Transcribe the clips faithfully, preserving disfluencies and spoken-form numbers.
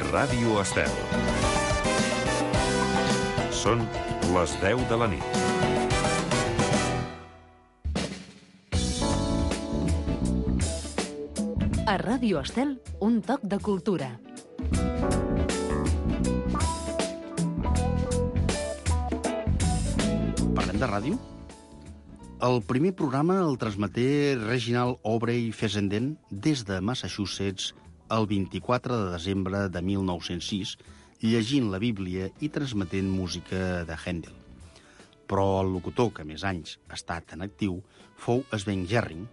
Ràdio Estel. Són les deu de la nit. A Ràdio Estel, un toc de cultura. Parlem de ràdio? El primer programa el transmeté Reginald Aubrey Fessenden des de Massachusetts el vint-i-quatre de desembre de mil nou-cents sis, llegint la Bíblia i transmetent música de Handel. Però el locutor que més anys ha estat en actiu fou Sven Jerring,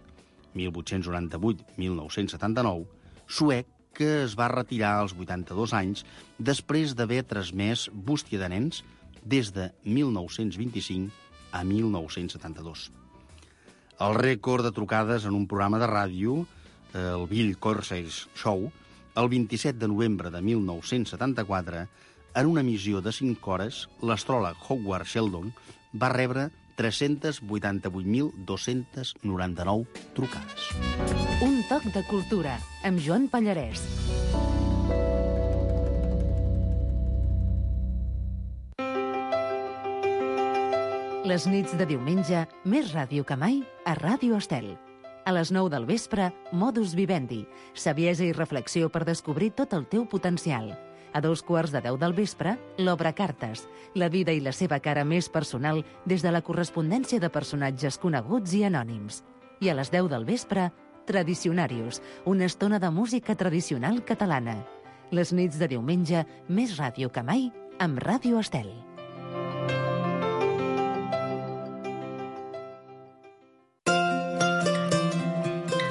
mil vuit-cents noranta-vuit a mil nou-cents setanta-nou, suec que es va retirar als vuitanta-dos anys després d'haver transmès Bústia de nens des de mil nou-cents vint-i-cinc a mil nou-cents setanta-dos. El rècord de trucades en un programa de ràdio, el Bill Corsair's Show, el vint-i-set de novembre de mil nou-cents setanta-quatre, en una emissió de cinc hores, l'astròleg Howard Sheldon va rebre tres-cents vuitanta-vuit mil dos-cents noranta-nou trucades. Un toc de cultura, amb Joan Pallarès. Les nits de diumenge, més ràdio que mai, a Ràdio Estel. A les nou del vespre, Modus Vivendi, saviesa i reflexió per descobrir tot el teu potencial. A dos quarts de deu del vespre, l'Obra Cartes, la vida i la seva cara més personal des de la correspondència de personatges coneguts i anònims. I a les deu del vespre, Tradicionarius, una estona de música tradicional catalana. Les nits de diumenge, més ràdio que mai, amb Ràdio Estel.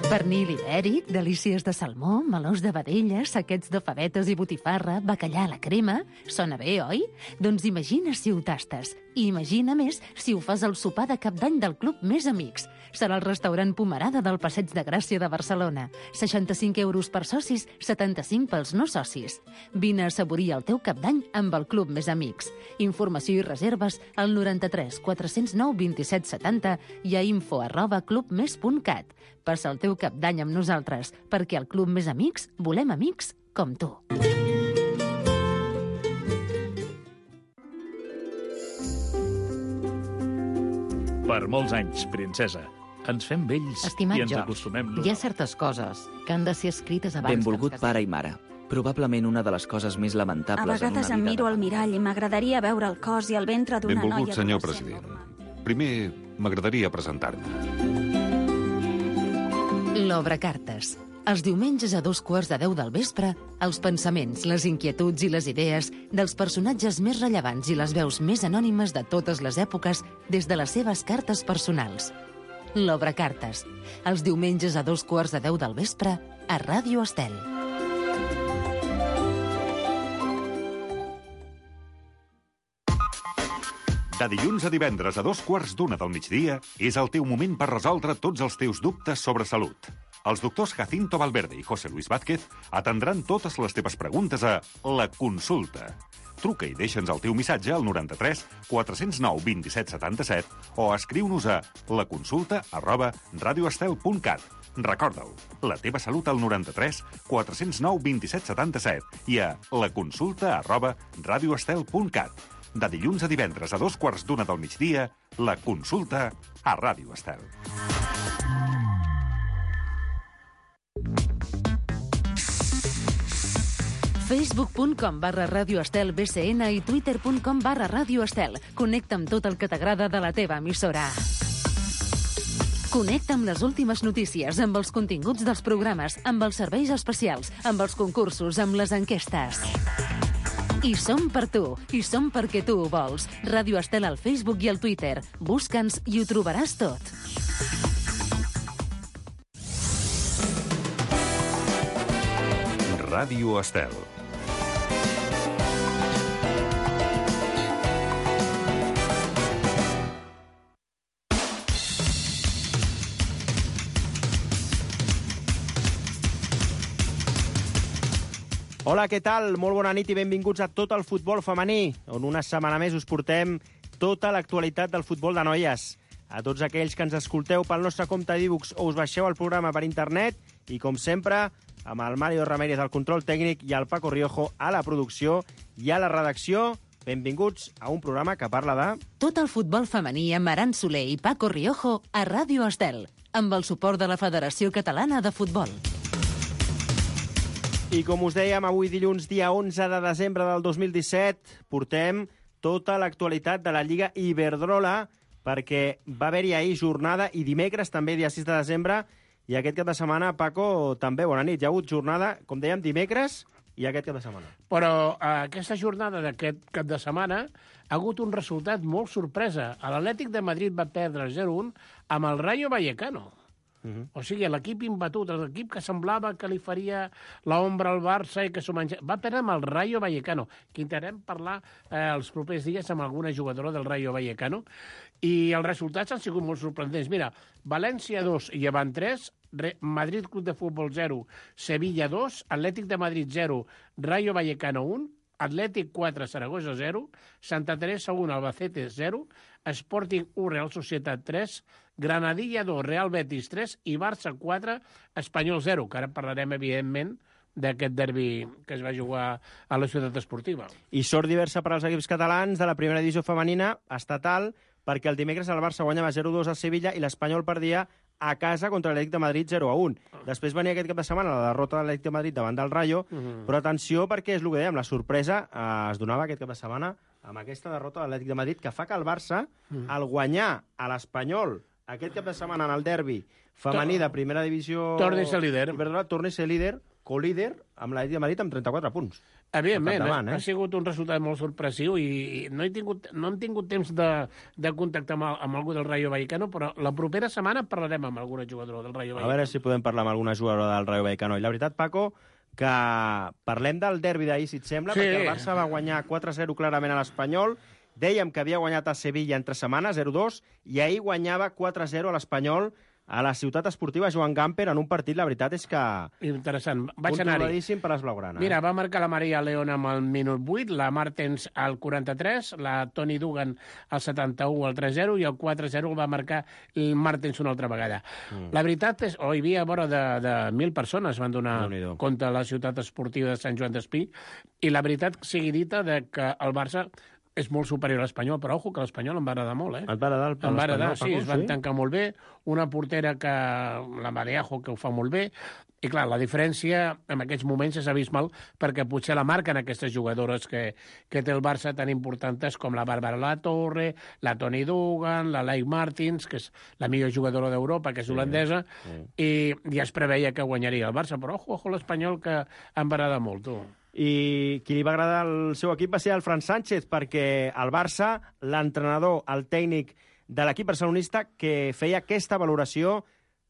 Pernil ibèric, delícies de salmó, melons de vedella, saquets de favetes i botifarra, bacallà a la crema... Sona bé, oi? Doncs imagina si ho tastes. I imagina més si ho fas al sopar de cap d'any del Club Més Amics. Serà el restaurant Pomerada del Passeig de Gràcia de Barcelona. seixanta-cinc euros per socis, setanta-cinc pels no socis. Vine a assaborir el teu cap d'any amb el Club Més Amics. Informació i reserves al noranta-tres quatre-cents nou vint-i-set setanta i a info arroba clubmes punt cat. Passa el teu cap d'any amb nosaltres, perquè al Club Més Amics volem amics com tu. Per molts anys, princesa. Ens fem vells Estimat i ens George, acostumem... hi ha certes coses que han de ser escrites abans Benvolgut que ens pare i mare. Probablement una de les coses més A lamentables vegades en em una vida... miro al mirall i m'agradaria veure el cos i el ventre d'una noia... Benvolgut, senyor adolescent president. normal. Primer, m'agradaria presentar-me. L'Obra Cartes. Els diumenges a dos quarts de deu del vespre, els pensaments, les inquietuds i les idees dels personatges més rellevants i les veus més anònimes de totes les èpoques des de les seves cartes personals. L'Obra Cartes. Els diumenges a dos quarts de deu del vespre, a Ràdio Estel. De dilluns a divendres a dos quarts d'una del migdia és el teu moment per resoldre tots els teus dubtes sobre salut. Els doctors Jacinto Valverde i José Luis Vázquez atendran totes les teves preguntes a La Consulta. Truca i deixa'ns el teu missatge al noranta-tres quatre-cents nou vint-i-set setanta-set o escriu-nos a laconsulta arroba radioestel punt cat. Recorda-ho, la teva salut al noranta-tres quatre-cents nou vint-i-set setanta-set i a laconsulta arroba radioestel punt cat. De dilluns a divendres a dos quarts d'una del migdia, La Consulta a Ràdio Estel. facebook punt com barra Ràdio Estel B C N i twitter punt com barra Ràdio Estel. Connecta amb tot el que t'agrada de la teva emissora. Connecta amb les últimes notícies, amb els continguts dels programes, amb els serveis especials, amb els concursos, amb les enquestes. I som per tu, i som perquè tu ho vols. Ràdio Estel al Facebook i al Twitter. Busca'ns i ho trobaràs tot. Ràdio Estel. Hola, què tal? Molt bona nit i benvinguts a Tot el futbol femení, on una setmana més us portem tota l'actualitat del futbol de noies. A tots aquells que ens escolteu pel nostre compte d'e-books o us baixeu el programa per internet i, com sempre, amb el Mario Ramírez al control tècnic i el Paco Riojo a la producció i a la redacció. Benvinguts a un programa que parla de... Tot el futbol femení amb Aran Soler i Paco Riojo a Ràdio Estel, amb el suport de la Federació Catalana de Futbol. I com us dèiem, avui dilluns, dia onze de desembre del dos mil disset, portem tota l'actualitat de la Lliga Iberdrola, perquè va haver-hi ahir jornada i dimecres també, dia sis de desembre, i aquest cap de setmana, Paco, també, bona nit. Hi ha hagut jornada, com dèiem, dimecres i aquest cap de setmana. Però eh, aquesta jornada d'aquest cap de setmana ha hagut un resultat molt sorpresa. L'Atlètic de Madrid va perdre zero un amb el Rayo Vallecano. Uh -huh. O sigui, l'equip imbatut, l'equip que semblava que li faria l'ombra al Barça i que s'ho menja... Va perdre amb el Rayo Vallecano, que intentarem parlar eh, els propers dies amb alguna jugadora del Rayo Vallecano, i els resultats han sigut molt sorprendents. Mira, València dos i Llevant tres, Madrid Club de Futbol zero, Sevilla dos, Atlètic de Madrid zero, Rayo Vallecano un, Atlètic quatre, Saragossa zero, Santa Teresa un, Albacete zero, Sporting un, Real Societat tres, Granadilla dos, Real Betis tres i Barça quatre, Espanyol zero, que ara parlarem, evidentment, d'aquest derbi que es va jugar a la ciutat esportiva. I sort diversa per als equips catalans de la primera divisió femenina estatal, perquè el dimecres el Barça guanyava zero dos a Sevilla i l'Espanyol perdia a casa contra l'Atlètic de Madrid zero a un. Després venia aquest cap de setmana la derrota de l'Atlètic de Madrid davant del Rayo, uh -huh. però atenció perquè és el que dèiem, la sorpresa eh, es donava aquest cap de setmana amb aquesta derrota de l'Atlètic de Madrid, que fa que el Barça, uh -huh. al guanyar a l'Espanyol aquest cap de setmana en el derbi femení de primera divisió... Torni a ser líder. Torni a ser líder, co-líder, amb l'Atlètic de Madrid amb trenta-quatre punts. Evidentment, davant, eh? ha sigut un resultat molt sorpressiu i no he tingut, no hem tingut temps de, de contactar amb, el, amb algú del Rayo Vallecano, però la propera setmana parlarem amb alguna jugadora del Rayo Vallecano. A veure si podem parlar amb alguna jugadora del Rayo Vallecano. I la veritat, Paco, que parlem del derbi d'ahir, si et sembla, sí. perquè el Barça va guanyar quatre a zero clarament a l'Espanyol. Dèiem que havia guanyat a Sevilla en tres setmanes, zero dos, i ahir guanyava quatre a zero a l'Espanyol a la ciutat esportiva Joan Gamper en un partit, la veritat és que... Interessant. Vaig anar-hi. Controladíssim per les blaugranes. Mira, va marcar la Maria León amb el minut vuit, la Martens al quaranta-tres, la Toni Dugan al setanta-u al tres zero i el quatre zero el va marcar el Martens una altra vegada. Mm. La veritat és... Oh, hi havia vora de, de mil persones van donar compte a la ciutat esportiva de Sant Joan d'Espí, i la veritat sigui dita de que el Barça és molt superior a l'Espanyol, però ojo, que l'Espanyol em va agradar molt, eh? Et va agradar l'Espanyol? Em va agradar, sí, es van sí? tancar molt bé, una portera que, la Mareajo, que ho fa molt bé, i clar, la diferència en aquests moments és abismal, perquè potser la marquen aquestes jugadores que, que té el Barça tan importants com la Bàrbara La Torre, la Toni Dugan, la Leigh Martins, que és la millor jugadora d'Europa, que és holandesa, sí, sí. i ja es preveia que guanyaria el Barça, però ojo, ojo l'Espanyol, que em va agradar molt, tu. I qui li va agradar el seu equip va ser el Fran Sánchez, perquè el Barça, l'entrenador, el tècnic de l'equip barcelonista, que feia aquesta valoració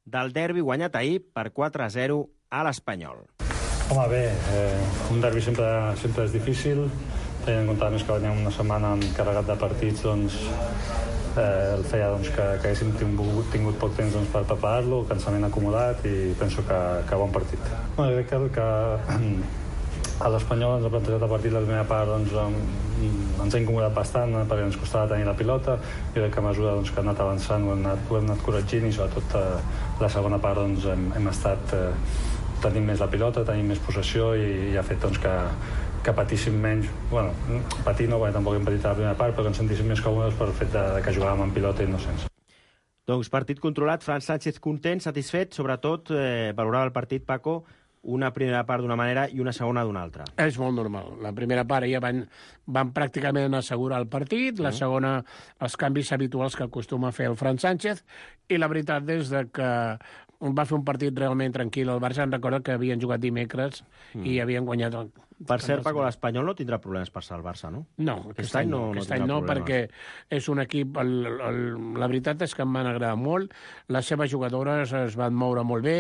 del derbi guanyat ahir per quatre a zero a l'Espanyol. Home, bé, eh, un derbi sempre, sempre és difícil, tenint en compte més que veníem una setmana carregat de partits, doncs eh, el feia doncs, que, que haguéssim tingut, tingut poc temps doncs, per preparar-lo, cansament acomodat, i penso que, que bon partit. Bueno, crec que, que a l'Espanyol ens ha plantejat el partit la primera part, doncs, ens ha incomodat bastant perquè ens costava tenir la pilota, i crec que a mesura doncs, que ha anat avançant ho hem anat, ho hem anat corregint, i sobretot eh, la segona part doncs, hem, hem estat eh, tenint més la pilota, tenint més possessió, i, i ha fet doncs, que, que patíssim menys, bueno, patir no, perquè tampoc hem patit a la primera part, però que ens sentíssim més còmodes pel fet de, de que jugàvem amb pilota i no sense. Doncs partit controlat, Fran Sánchez content, satisfet, sobretot eh, valorava el partit, Paco, una primera part d'una manera i una segona d'una altra. És molt normal. La primera part ja van, van pràcticament assegurar el partit, la segona els canvis habituals que acostuma a fer el Fran Sánchez, i la veritat és que va fer un partit realment tranquil. El Barça, em recorda que havien jugat dimecres mm. i havien guanyat... El... Per cert, Paco, l'Espanyol no tindrà problemes per ser el Barça, no? No, aquest, aquest any no, aquest no, any no perquè és un equip... El, el, la veritat és que em van agradar molt. Les seves jugadores es van moure molt bé,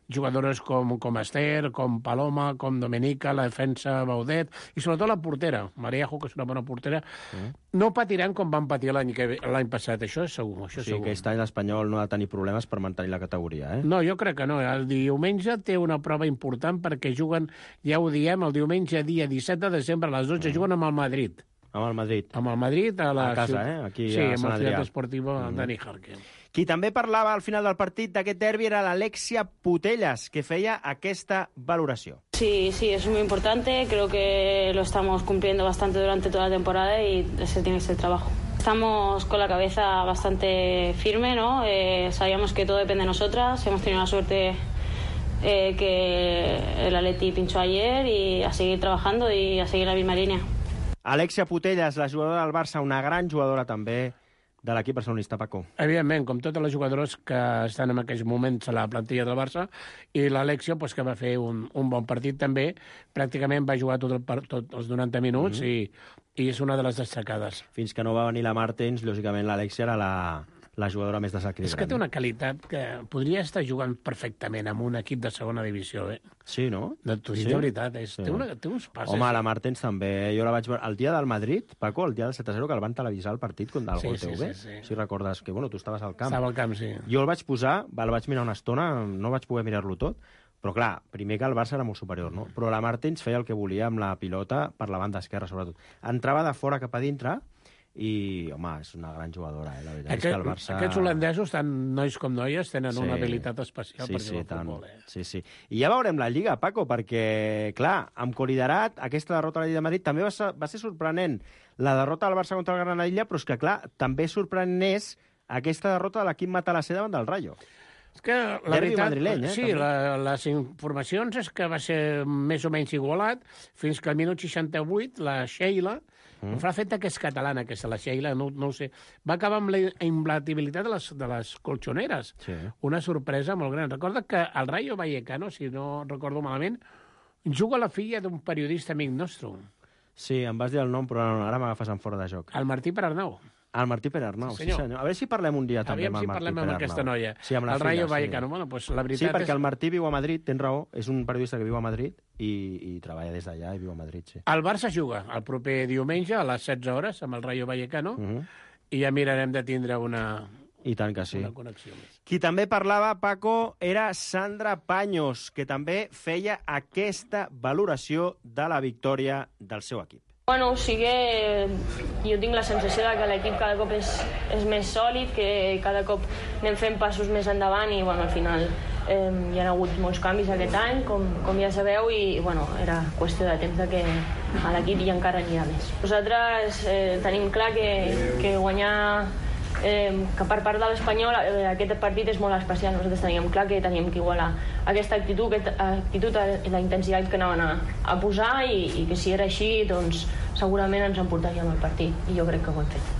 jugadores com, com Esther, com Paloma, com Domenica, la defensa Baudet, i sobretot la portera, Mareajo, que és una bona portera. Mm. No patiran com van patir l'any l'any passat, això és segur. Això és sí, segur. Aquest any l'Espanyol no ha de tenir problemes per mantenir la categoria, eh? No, jo crec que no. El diumenge té una prova important perquè juguen, ja ho diem, el diumenge dia disset de desembre a les dotze mm. juguen amb el Madrid. Amb el Madrid. Amb el Madrid a la... A casa, eh? Aquí sí, a Sant Adrià. Sí, amb la ciutat esportiva mm. Dani Jarque. Qui també parlava al final del partit d'aquest derbi era l'Alexia Putellas, que feia aquesta valoració. Sí, sí, es muy importante. Creo que lo estamos cumpliendo bastante durante toda la temporada y ese tiene que ser el trabajo. Estamos con la cabeza bastante firme, ¿no? Eh, sabíamos que todo depende de nosotras. Hemos tenido la suerte eh, que el Atleti pinchó ayer y a seguir trabajando y a seguir la misma línea. Alexia Putellas, la jugadora del Barça, una gran jugadora també de l'equip barcelonista, Paco. Evidentment, com totes les jugadores que estan en aquells moments a la plantilla del Barça, i l'Alexia, pues, que va fer un, un bon partit també, pràcticament va jugar tot, el, tot els noranta minuts mm-hmm. i, i és una de les destacades. Fins que no va venir la Martens, lògicament l'Alexia era la, la jugadora més desequilibrant. És que té una qualitat que podria estar jugant perfectament amb un equip de segona divisió, eh? Sí, no? De, sí? de veritat, és, sí. té, una, té uns passes. Home, la Martens també, jo la vaig veure el dia del Madrid, Paco, el dia del set a zero, que el van televisar el partit contra el sí, Gol sí, T V, sí, sí. si recordes que, bueno, tu estaves al camp. Estava al camp, sí. Jo el vaig posar, el vaig mirar una estona, no vaig poder mirar-lo tot, però clar, primer que el Barça era molt superior, no? Però la Martens feia el que volia amb la pilota per la banda esquerra, sobretot. Entrava de fora cap a dintre i, home, és una gran jugadora, eh? La veritat Aquest, és que el Barça... Aquests holandesos, tant nois com noies, tenen sí, una habilitat especial sí, per sí, jugar al tant. futbol. Eh? Sí, sí. I ja veurem la Lliga, Paco, perquè, clar, amb Coliderat, aquesta derrota a la Lliga de Madrid també va ser, va ser sorprenent la derrota del Barça contra el Granadilla, però és que, clar, també sorprenent és aquesta derrota de l'equip Matalassé davant del Rayo. És que la Derbi veritat, madrileny, eh, sí, la, les informacions és que va ser més o menys igualat, fins que al minut seixanta-vuit la Sheila, mm. fa feta que és catalana, aquesta, la Sheila, no, no ho sé, va acabar amb la imbatibilitat de les, de les colxoneres. Sí. Una sorpresa molt gran. Recorda que el Rayo Vallecano, si no recordo malament, juga la filla d'un periodista amic nostre. Sí, em vas dir el nom, però ara m'agafes en fora de joc. El Martí Perarnau. El Martí Perarnau, sí senyor. sí senyor. A veure si parlem un dia també Aviam amb el si Martí parlem amb Perarnau. aquesta noia. Sí, amb la el filla, Rayo sí. Vallecano. Bueno, pues la veritat sí, perquè és... el Martí viu a Madrid, tens raó, és un periodista que viu a Madrid i, i treballa des d'allà i viu a Madrid, sí. El Barça juga el proper diumenge a les setze hores amb el Rayo Vallecano uh -huh. i ja mirarem de tindre una... I tant que sí. Una connexió més. Qui també parlava, Paco, era Sandra Paños, que també feia aquesta valoració de la victòria del seu equip. Bueno, o sigui, jo tinc la sensació de que l'equip cada cop és, és més sòlid, que cada cop anem fent passos més endavant i, bueno, al final eh, hi ha hagut molts canvis aquest any, com, com ja sabeu, i, bueno, era qüestió de temps de que a l'equip hi encara n'hi ha més. Nosaltres eh, tenim clar que, que guanyar... Eh, que per part de l'Espanyol eh, aquest partit és molt especial. Nosaltres teníem clar que teníem que igualar aquesta actitud, aquesta actitud i la intensitat que anaven a, a posar i, i que si era així, doncs segurament ens emportaríem el partit i jo crec que ho hem fet.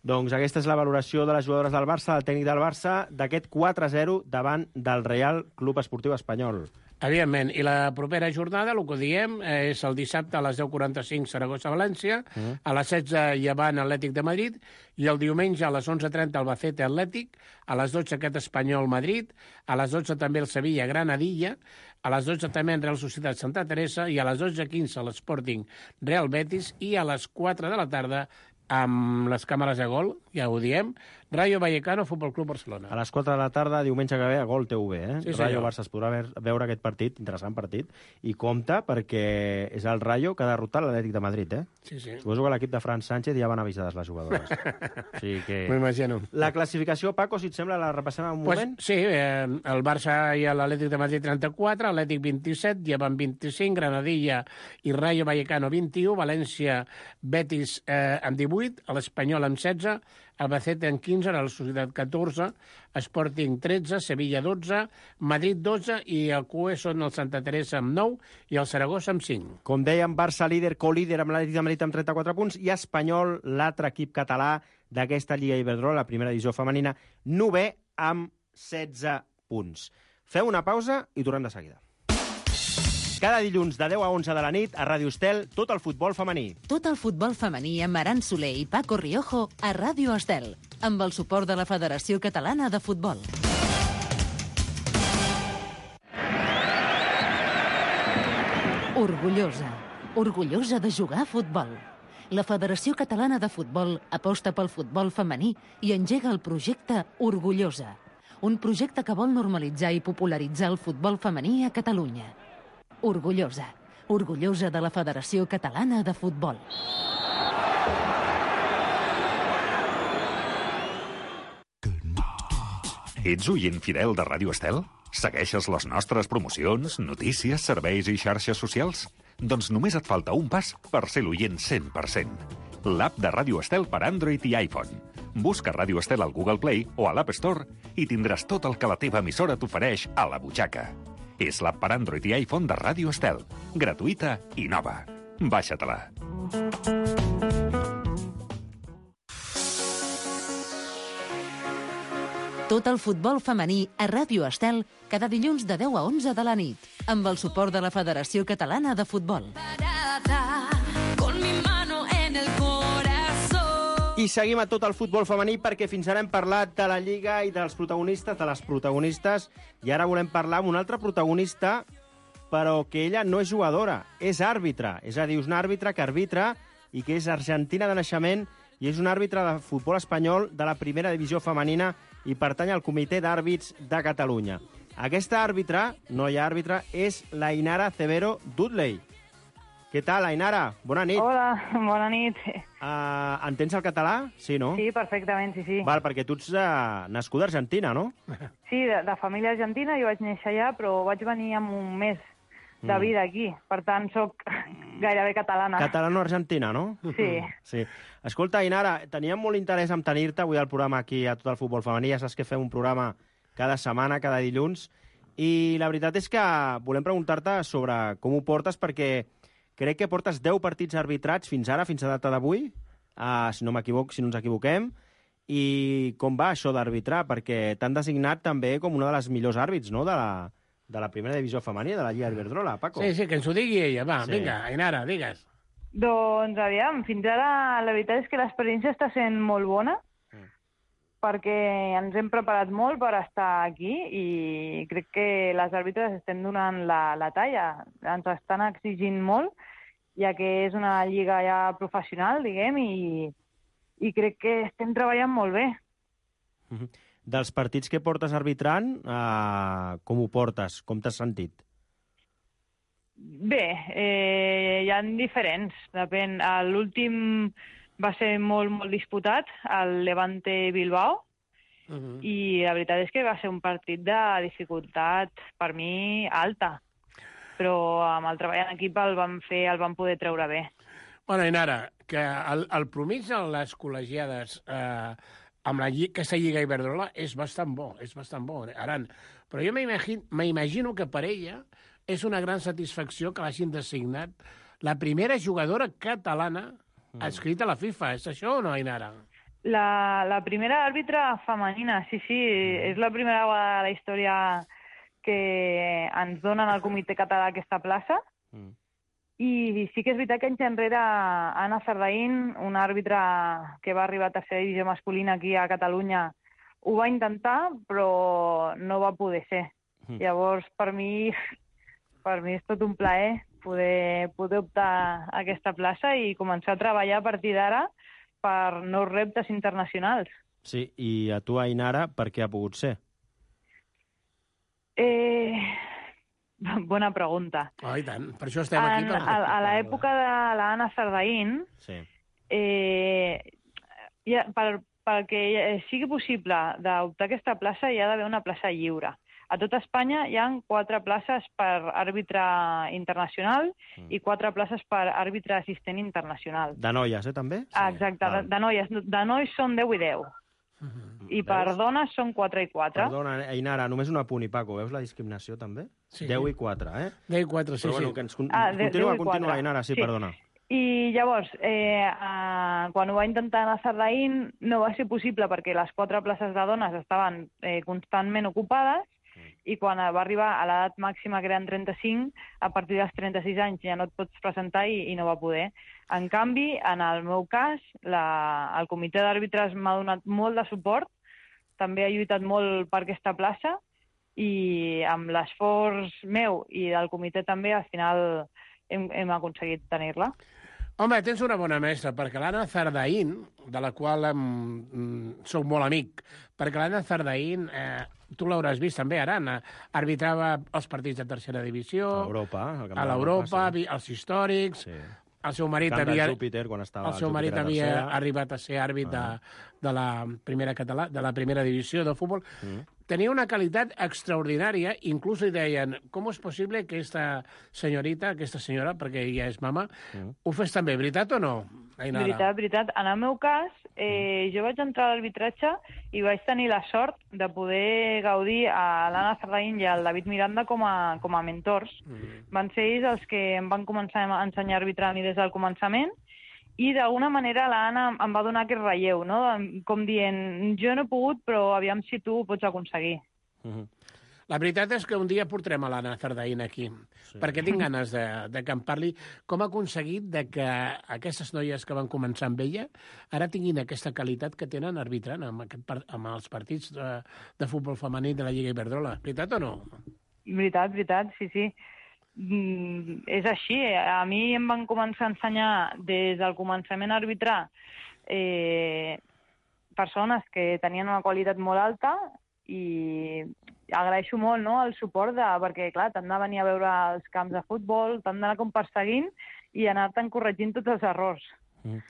Doncs aquesta és la valoració de les jugadores del Barça, del tècnic del Barça, d'aquest quatre a zero davant del Real Club Esportiu Espanyol. Evidentment, i la propera jornada, el que diem, és el dissabte a les deu quaranta-cinc Saragossa-València, mm. a les setze Llevant Atlètic de Madrid, i el diumenge a les onze trenta Albacete Atlètic, a les dotze aquest Espanyol Madrid, a les dotze també el Sevilla Granadilla, a les dotze també en Real Societat Santa Teresa, i a les dotze quinze l'Sporting Real Betis, i a les quatre de la tarda amb les càmeres de gol, ja ho diem, Rayo Vallecano, Futbol Club Barcelona. A les quatre de la tarda, diumenge que ve, a Gol T V, eh? Sí, Rayo Barça, es podrà veure aquest partit, interessant partit, i compta perquè és el Rayo que ha derrotat l'Atlètic de Madrid, eh? Sí, sí. Suposo que l'equip de Fran Sánchez ja van avisades les jugadores. O sigui que... M'ho imagino. La classificació, Paco, si et sembla, la repassem en un pues, moment? Sí, eh, el Barça i l'Atlètic de Madrid trenta-quatre, Atlètic vint-i-set, Llevant vint-i-cinc, Granadilla i Rayo Vallecano vint-i-u, València Betis eh, amb divuit, l'Espanyol amb setze, Albacete en quinze, la Societat catorze, Sporting tretze, Sevilla dotze, Madrid dotze i el Q E són el Santa Teresa amb nou i el Saragossa amb cinc. Com dèiem, Barça líder, co-líder amb l'Atlètic de Madrid amb trenta-quatre punts i Espanyol, l'altre equip català d'aquesta Lliga Iberdrola, la primera divisió femenina, novè amb setze punts. Feu una pausa i tornem de seguida. Cada dilluns de deu a onze de la nit a Ràdio Estel, tot el futbol femení. Tot el futbol femení amb Aran Soler i Paco Riojo a Ràdio Estel, amb el suport de la Federació Catalana de Futbol. Orgullosa. Orgullosa de jugar a futbol. La Federació Catalana de Futbol aposta pel futbol femení i engega el projecte Orgullosa, un projecte que vol normalitzar i popularitzar el futbol femení a Catalunya. Orgullosa. Orgullosa de la Federació Catalana de Futbol. Ets oient fidel de Ràdio Estel? Segueixes les nostres promocions, notícies, serveis i xarxes socials? Doncs només et falta un pas per ser l'oient cent per cent. L'app de Ràdio Estel per Android i iPhone. Busca Ràdio Estel al Google Play o a l'App Store i tindràs tot el que la teva emissora t'ofereix a la butxaca. És l'app per Android i iPhone de Ràdio Estel. Gratuïta i nova. Baixa-te-la. Tot el futbol femení a Ràdio Estel cada dilluns de deu a onze de la nit, amb el suport de la Federació Catalana de Futbol. I seguim a tot el futbol femení perquè fins ara hem parlat de la Lliga i dels protagonistes, de les protagonistes, i ara volem parlar amb una altra protagonista, però que ella no és jugadora, és àrbitre. És a dir, és un àrbitre que arbitra i que és argentina de naixement i és un àrbitre de futbol espanyol de la primera divisió femenina i pertany al Comitè d'Àrbits de Catalunya. Aquesta àrbitre, noia àrbitre, és l'Ainara Cebero Dudley. Què tal, Ainara? Bona nit. Hola, bona nit. Uh, entens el català? Sí, no? Sí, perfectament, sí, sí. Val, perquè tu ets uh, nascuda a Argentina, no? Sí, de, de família argentina, jo vaig néixer allà, però vaig venir amb un mes de vida aquí. Per tant, sóc gairebé catalana. Catalano-argentina, no? Sí. Sí. Escolta, Ainara, teníem molt interès en tenir-te avui al programa aquí a Tot el Futbol Femení. Ja saps que fem un programa cada setmana, cada dilluns. I la veritat és que volem preguntar-te sobre com ho portes, perquè crec que portes deu partits arbitrats fins ara, fins a data d'avui, uh, si no m'equivoc, si no ens equivoquem. I com va això d'arbitrar? Perquè t'han designat també com una de les millors àrbits, no?, de la, de la primera divisió femenina, de la Lliga Iberdrola, Paco. Sí, sí, que ens ho digui ella. Va, sí. Vinga, Ainara, digues. Doncs, aviam, fins ara la veritat és que l'experiència està sent molt bona, mm. perquè ens hem preparat molt per estar aquí i crec que les àrbitres estem donant la, la talla. Ens estan exigint molt, ja que és una lliga ja professional, diguem, i, i crec que estem treballant molt bé. Mm-hmm. Dels partits que portes arbitrant, eh, com ho portes? Com t'has sentit? Bé, eh, hi ha diferents. Depèn. L'últim va ser molt, molt disputat, el Levante Bilbao, uh-huh. i la veritat és que va ser un partit de dificultat, per mi, alta. Però amb el treball en equip el vam fer, el vam poder treure bé. Bueno, Ainara, que el, el promís a les col·legiades eh, amb la, aquesta Lliga Iberdrola és bastant bo, és bastant bo, Aran. Però jo m'imagino que per ella és una gran satisfacció que l'hagin designat la primera jugadora catalana adscrita a la FIFA. És això o no, Ainara? La, la primera àrbitra femenina, sí, sí. Mm. És la primera vegada de la història que ens donen al Comitè Català aquesta plaça. Mm. I sí que és veritat que anys enrere Anna Zardaín, una àrbitre que va arribar a tercera divisió masculina aquí a Catalunya, ho va intentar, però no va poder ser. Mm. Llavors, per mi... Per mi és tot un plaer poder, poder optar a aquesta plaça i començar a treballar a partir d'ara per nous reptes internacionals. Sí, i a tu, Ainara, per què ha pogut ser? Eh... Bona pregunta. Oh, i tant, per això estem aquí. En, per... a, a l'època de l'Anna Zardaín, sí. eh, ja, per, perquè sigui possible d'optar a aquesta plaça hi ha d'haver una plaça lliure. A tot Espanya hi ha quatre places per àrbitre internacional mm. i quatre places per àrbitre assistent internacional. De noies, eh, també? Ah, exacte, de, de noies. De nois són deu i deu. Mm-hmm. I per Veus? Dones són quatre i quatre. Perdona, Ainara, només un apunt i Paco. Veus la discriminació, també? Sí. deu i quatre, eh? deu i quatre, sí, Però, bueno, sí. Que ens con... ah, de, continua, continua, Ainara, sí, sí, perdona. I llavors, eh, eh, quan ho va intentar anar a Zardaín, no va ser possible perquè les quatre places de dones estaven eh, constantment ocupades, i quan va arribar a l'edat màxima, que eren trenta-cinc, a partir dels trenta-sis anys ja no et pots presentar i, i no va poder. En canvi, en el meu cas, la, el comitè d'àrbitres m'ha donat molt de suport, també ha lluitat molt per aquesta plaça, i amb l'esforç meu i del comitè també, al final hem, hem aconseguit tenir-la. Home, tens una bona mestra, perquè l'Anna Zardaín, de la qual em, soc molt amic, perquè l'Anna Zardaín, eh, tu l'hauràs vist també, Aran, arbitrava els partits de tercera divisió, a l'Europa, a l'Europa, sí. Els històrics, sí. el seu marit Camp de havia, Júpiter, quan estava el seu marit Júpiter a havia tercera. arribat a ser àrbit de, de, la primera català, de la primera divisió del futbol. Mm. Tenia una qualitat extraordinària, inclús li deien, com és possible que aquesta senyorita, aquesta senyora, perquè ella és mama, mm. ho fes també, veritat o no, Ainara? Veritat, veritat. En el meu cas, eh, jo vaig entrar a l'arbitratge i vaig tenir la sort de poder gaudir a l'Anna Zarraín i al David Miranda com a, com a mentors. Mm. Van ser ells els que em van començar a ensenyar a arbitrar a mi des del començament i d'alguna manera l'Anna em va donar aquest relleu, no? Com dient, jo no he pogut, però aviam si tu ho pots aconseguir. Mm-hmm. La veritat és que un dia portarem a l'Anna Zardaín aquí, sí. perquè tinc ganes de, de que em parli com ha aconseguit de que aquestes noies que van començar amb ella ara tinguin aquesta qualitat que tenen arbitrant amb, aquest, amb els partits de, de futbol femení de la Lliga Iberdrola. Veritat o no? Veritat, veritat, sí, sí. Mm, és així. A mi em van començar a ensenyar des del començament a arbitrar eh, persones que tenien una qualitat molt alta i agraeixo molt, no?, el suport, de, perquè, clar, t'han de venir a veure els camps de futbol, t'han d'anar com perseguint i anar-te'n corregint tots els errors. Mm.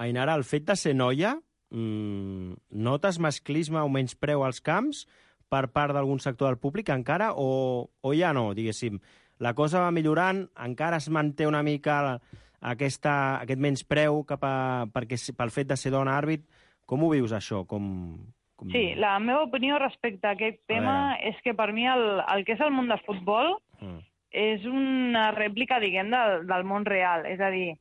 Ainara, el fet de ser noia, mmm, notes masclisme o menyspreu als camps per part d'algun sector del públic encara, o, o ja no, diguéssim? La cosa va millorant, encara es manté una mica aquesta, aquest menyspreu cap a, perquè, pel fet de ser dona àrbit. Com ho vius, això? Com... Com... Sí, la meva opinió respecte a aquest tema a és que per mi el, el que és el món de futbol mm. és una rèplica, diguem, del, del món real. És a dir,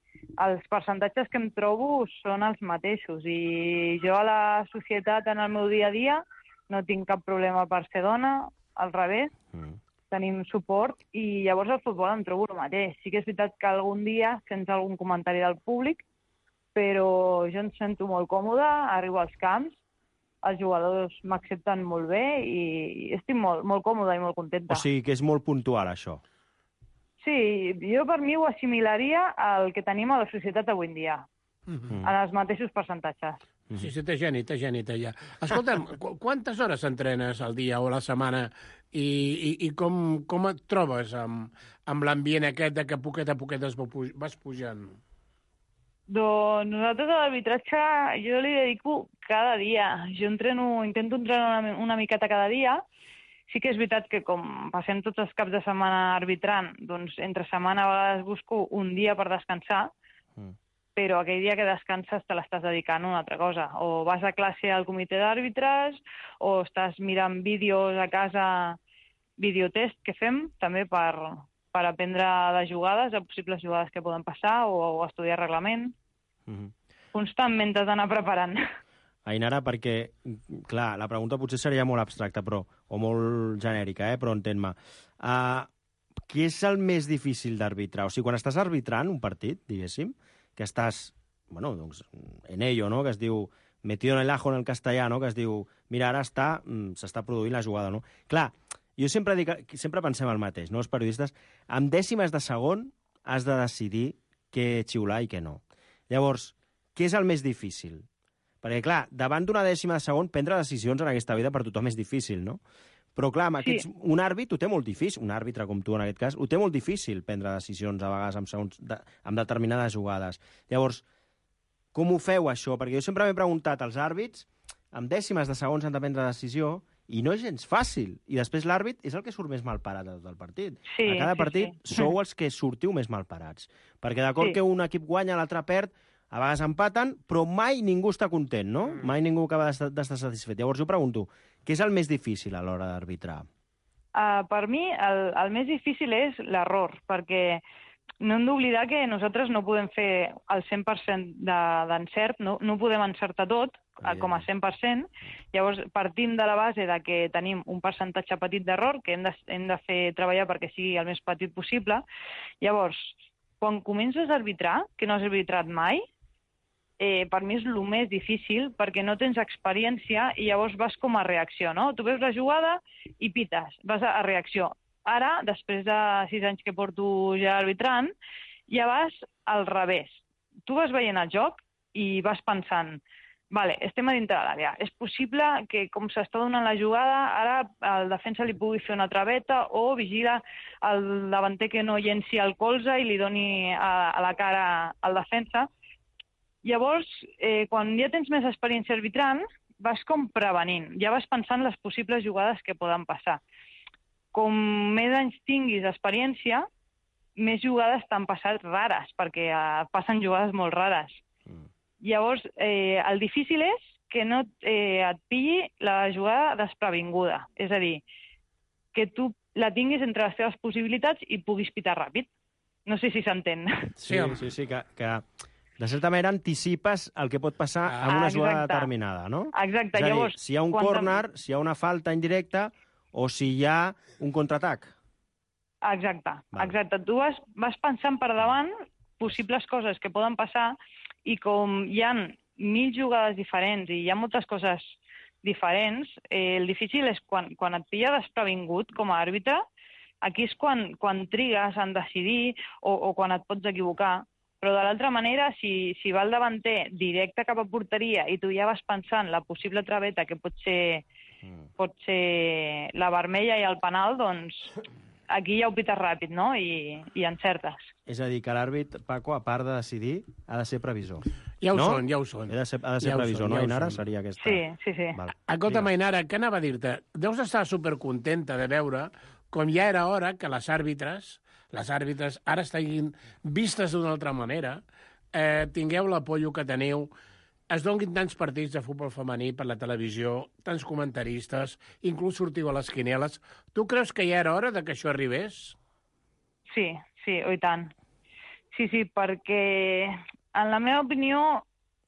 els percentatges que em trobo són els mateixos i jo a la societat, en el meu dia a dia, no tinc cap problema per ser dona, al revés, mm. tenim suport i llavors al futbol em trobo el mateix. Sí que és veritat que algun dia sents algun comentari del públic, però jo em sento molt còmoda, arribo als camps, els jugadors m'accepten molt bé i estic molt, molt còmoda i molt contenta. O sigui que és molt puntual, això. Sí, jo per mi ho assimilaria al que tenim a la societat avui en dia, mm-hmm. en els mateixos percentatges. Sí, sí, té geni, té geni, té ja. Escolta'm, qu quantes hores entrenes al dia o a la setmana i, i, i com, com et trobes amb, amb l'ambient aquest de que poquet a poquet es vas pujant? Doncs nosaltres a l'arbitratge jo li dedico cada dia. Jo entreno, intento entrenar una, una miqueta cada dia. Sí que és veritat que com passem tots els caps de setmana arbitrant, doncs entre setmana a vegades busco un dia per descansar, mm. però aquell dia que descanses te l'estàs dedicant a una altra cosa. O vas a classe al comitè d'àrbitres, o estàs mirant vídeos a casa, videotest que fem, també per... per aprendre de jugades, de possibles jugades que poden passar, o, o estudiar reglament. Mm-hmm. Constantment t'has d'anar preparant. Ainara, perquè, clar, la pregunta potser seria molt abstracta, però, o molt genèrica, eh? Però entén-me. Uh, què és el més difícil d'arbitrar? O sigui, quan estàs arbitrant un partit, diguéssim, que estàs, bueno, doncs, en ello, no?, que es diu metido en el ajo en el castellà, no?, que es diu, mira, ara està, s'està produint la jugada, no? Clar, jo sempre dic, sempre pensem el mateix, no, els periodistes, amb dècimes de segon has de decidir què xiular i què no. Llavors, què és el més difícil? Perquè, clar, davant d'una dècima de segon, prendre decisions en aquesta vida per tothom és difícil, no? Però, clar, amb aquests, sí. un àrbit ho té molt difícil, un àrbitre com tu en aquest cas, ho té molt difícil prendre decisions a vegades amb, segons, de, amb determinades jugades. Llavors, com ho feu, això? Perquè jo sempre m'he preguntat, els àrbits, amb dècimes de segons han de prendre decisió, i no és gens fàcil. I després l'àrbit és el que surt més malparat del partit. Sí, a cada sí, partit sí. sou els que sortiu més malparats. Perquè d'acord sí. que un equip guanya, l'altre perd, a vegades empaten, però mai ningú està content, no? Mm. Mai ningú acaba d'estar satisfet. Llavors jo pregunto, què és el més difícil a l'hora d'arbitrar? Uh, per mi, el, el més difícil és l'error, perquè no hem d'oblidar que nosaltres no podem fer el cent per cent d'encert, no, no podem encertar tot, com a cent per cent. Llavors, partim de la base de que tenim un percentatge petit d'error, que hem de, hem de fer treballar perquè sigui el més petit possible. Llavors, quan comences a arbitrar, que no has arbitrat mai, eh, per mi és el més difícil, perquè no tens experiència i llavors vas com a reacció, no? Tu veus la jugada i pites, vas a, a reacció. Ara, després de sis anys que porto ja arbitrant, ja vas al revés. Tu vas veient el joc i vas pensant, Vale, estem a dintre de l'àrea. És possible que, com s'està donant la jugada, ara el defensa li pugui fer una traveta o vigila el davanter que no llenci el colze i li doni a, a la cara al defensa. Llavors, eh, quan ja tens més experiència arbitrant, vas com prevenint, ja vas pensant les possibles jugades que poden passar. Com més anys tinguis experiència, més jugades t'han passat rares, perquè eh, passen jugades molt rares. Llavors, eh, el difícil és que no eh, et pilli la jugada desprevinguda. És a dir, que tu la tinguis entre les teves possibilitats i puguis pitar ràpid. No sé si s'entén. Sí, sí, sí, que, que de certa manera anticipes el que pot passar Ah, en una jugada exacte. determinada, no? Exacte, És a dir, llavors... si hi ha un quan córner, si hi ha una falta indirecta o si hi ha un contraatac. Exacte, Val. exacte. Tu vas, vas pensant per davant possibles coses que poden passar i com hi ha mil jugades diferents i hi ha moltes coses diferents, eh, el difícil és quan, quan et pilla desprevingut com a àrbitre, aquí és quan, quan trigues en decidir o, o quan et pots equivocar. Però de l'altra manera, si, si va el davanter directe cap a porteria i tu ja vas pensant la possible traveta que pot ser, mm. pot ser la vermella i el penal, doncs aquí ja ho pites ràpid, no? I, i encertes. És a dir, que l'àrbit, Paco, a part de decidir, ha de ser previsor. Ja ho no? són, ja ho són. Ha de ser, ha de ser Ja ho previsor, són, no, ja ho Ainara? són. Seria aquesta... Sí, sí, sí. Val. Escolta, Digues. Ainara, què anava a dir-te? Deus estar supercontenta de veure com ja era hora que les àrbitres, les àrbitres ara estiguin vistes d'una altra manera, eh, tingueu l'apollo que teniu, es donin tants partits de futbol femení per la televisió, tants comentaristes, inclús sortiu a les quineles. Tu creus que ja era hora de que això arribés? Sí, sí, oh, i tant. Sí, sí, perquè en la meva opinió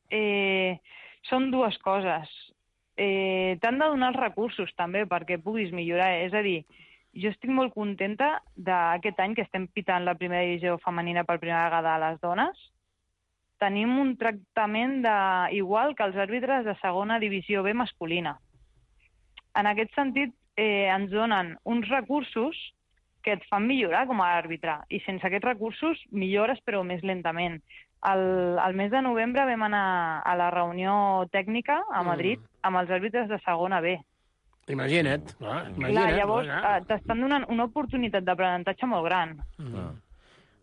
eh, són dues coses. Eh, T'han de donar els recursos també perquè puguis millorar. És a dir, jo estic molt contenta d'aquest any que estem pitant la primera divisió femenina per primera vegada a les dones. Tenim un tractament de, igual que els àrbitres de segona divisió B masculina. En aquest sentit, eh, ens donen uns recursos que et fan millorar com a àrbitre. I sense aquests recursos millores, però més lentament. El, el mes de novembre vam anar a la reunió tècnica a Madrid mm. amb els àrbitres de segona B. Imagina't. Ah, imagina't. Clar, llavors ah. eh, t'estan donant una oportunitat d'aprenentatge molt gran. Mm.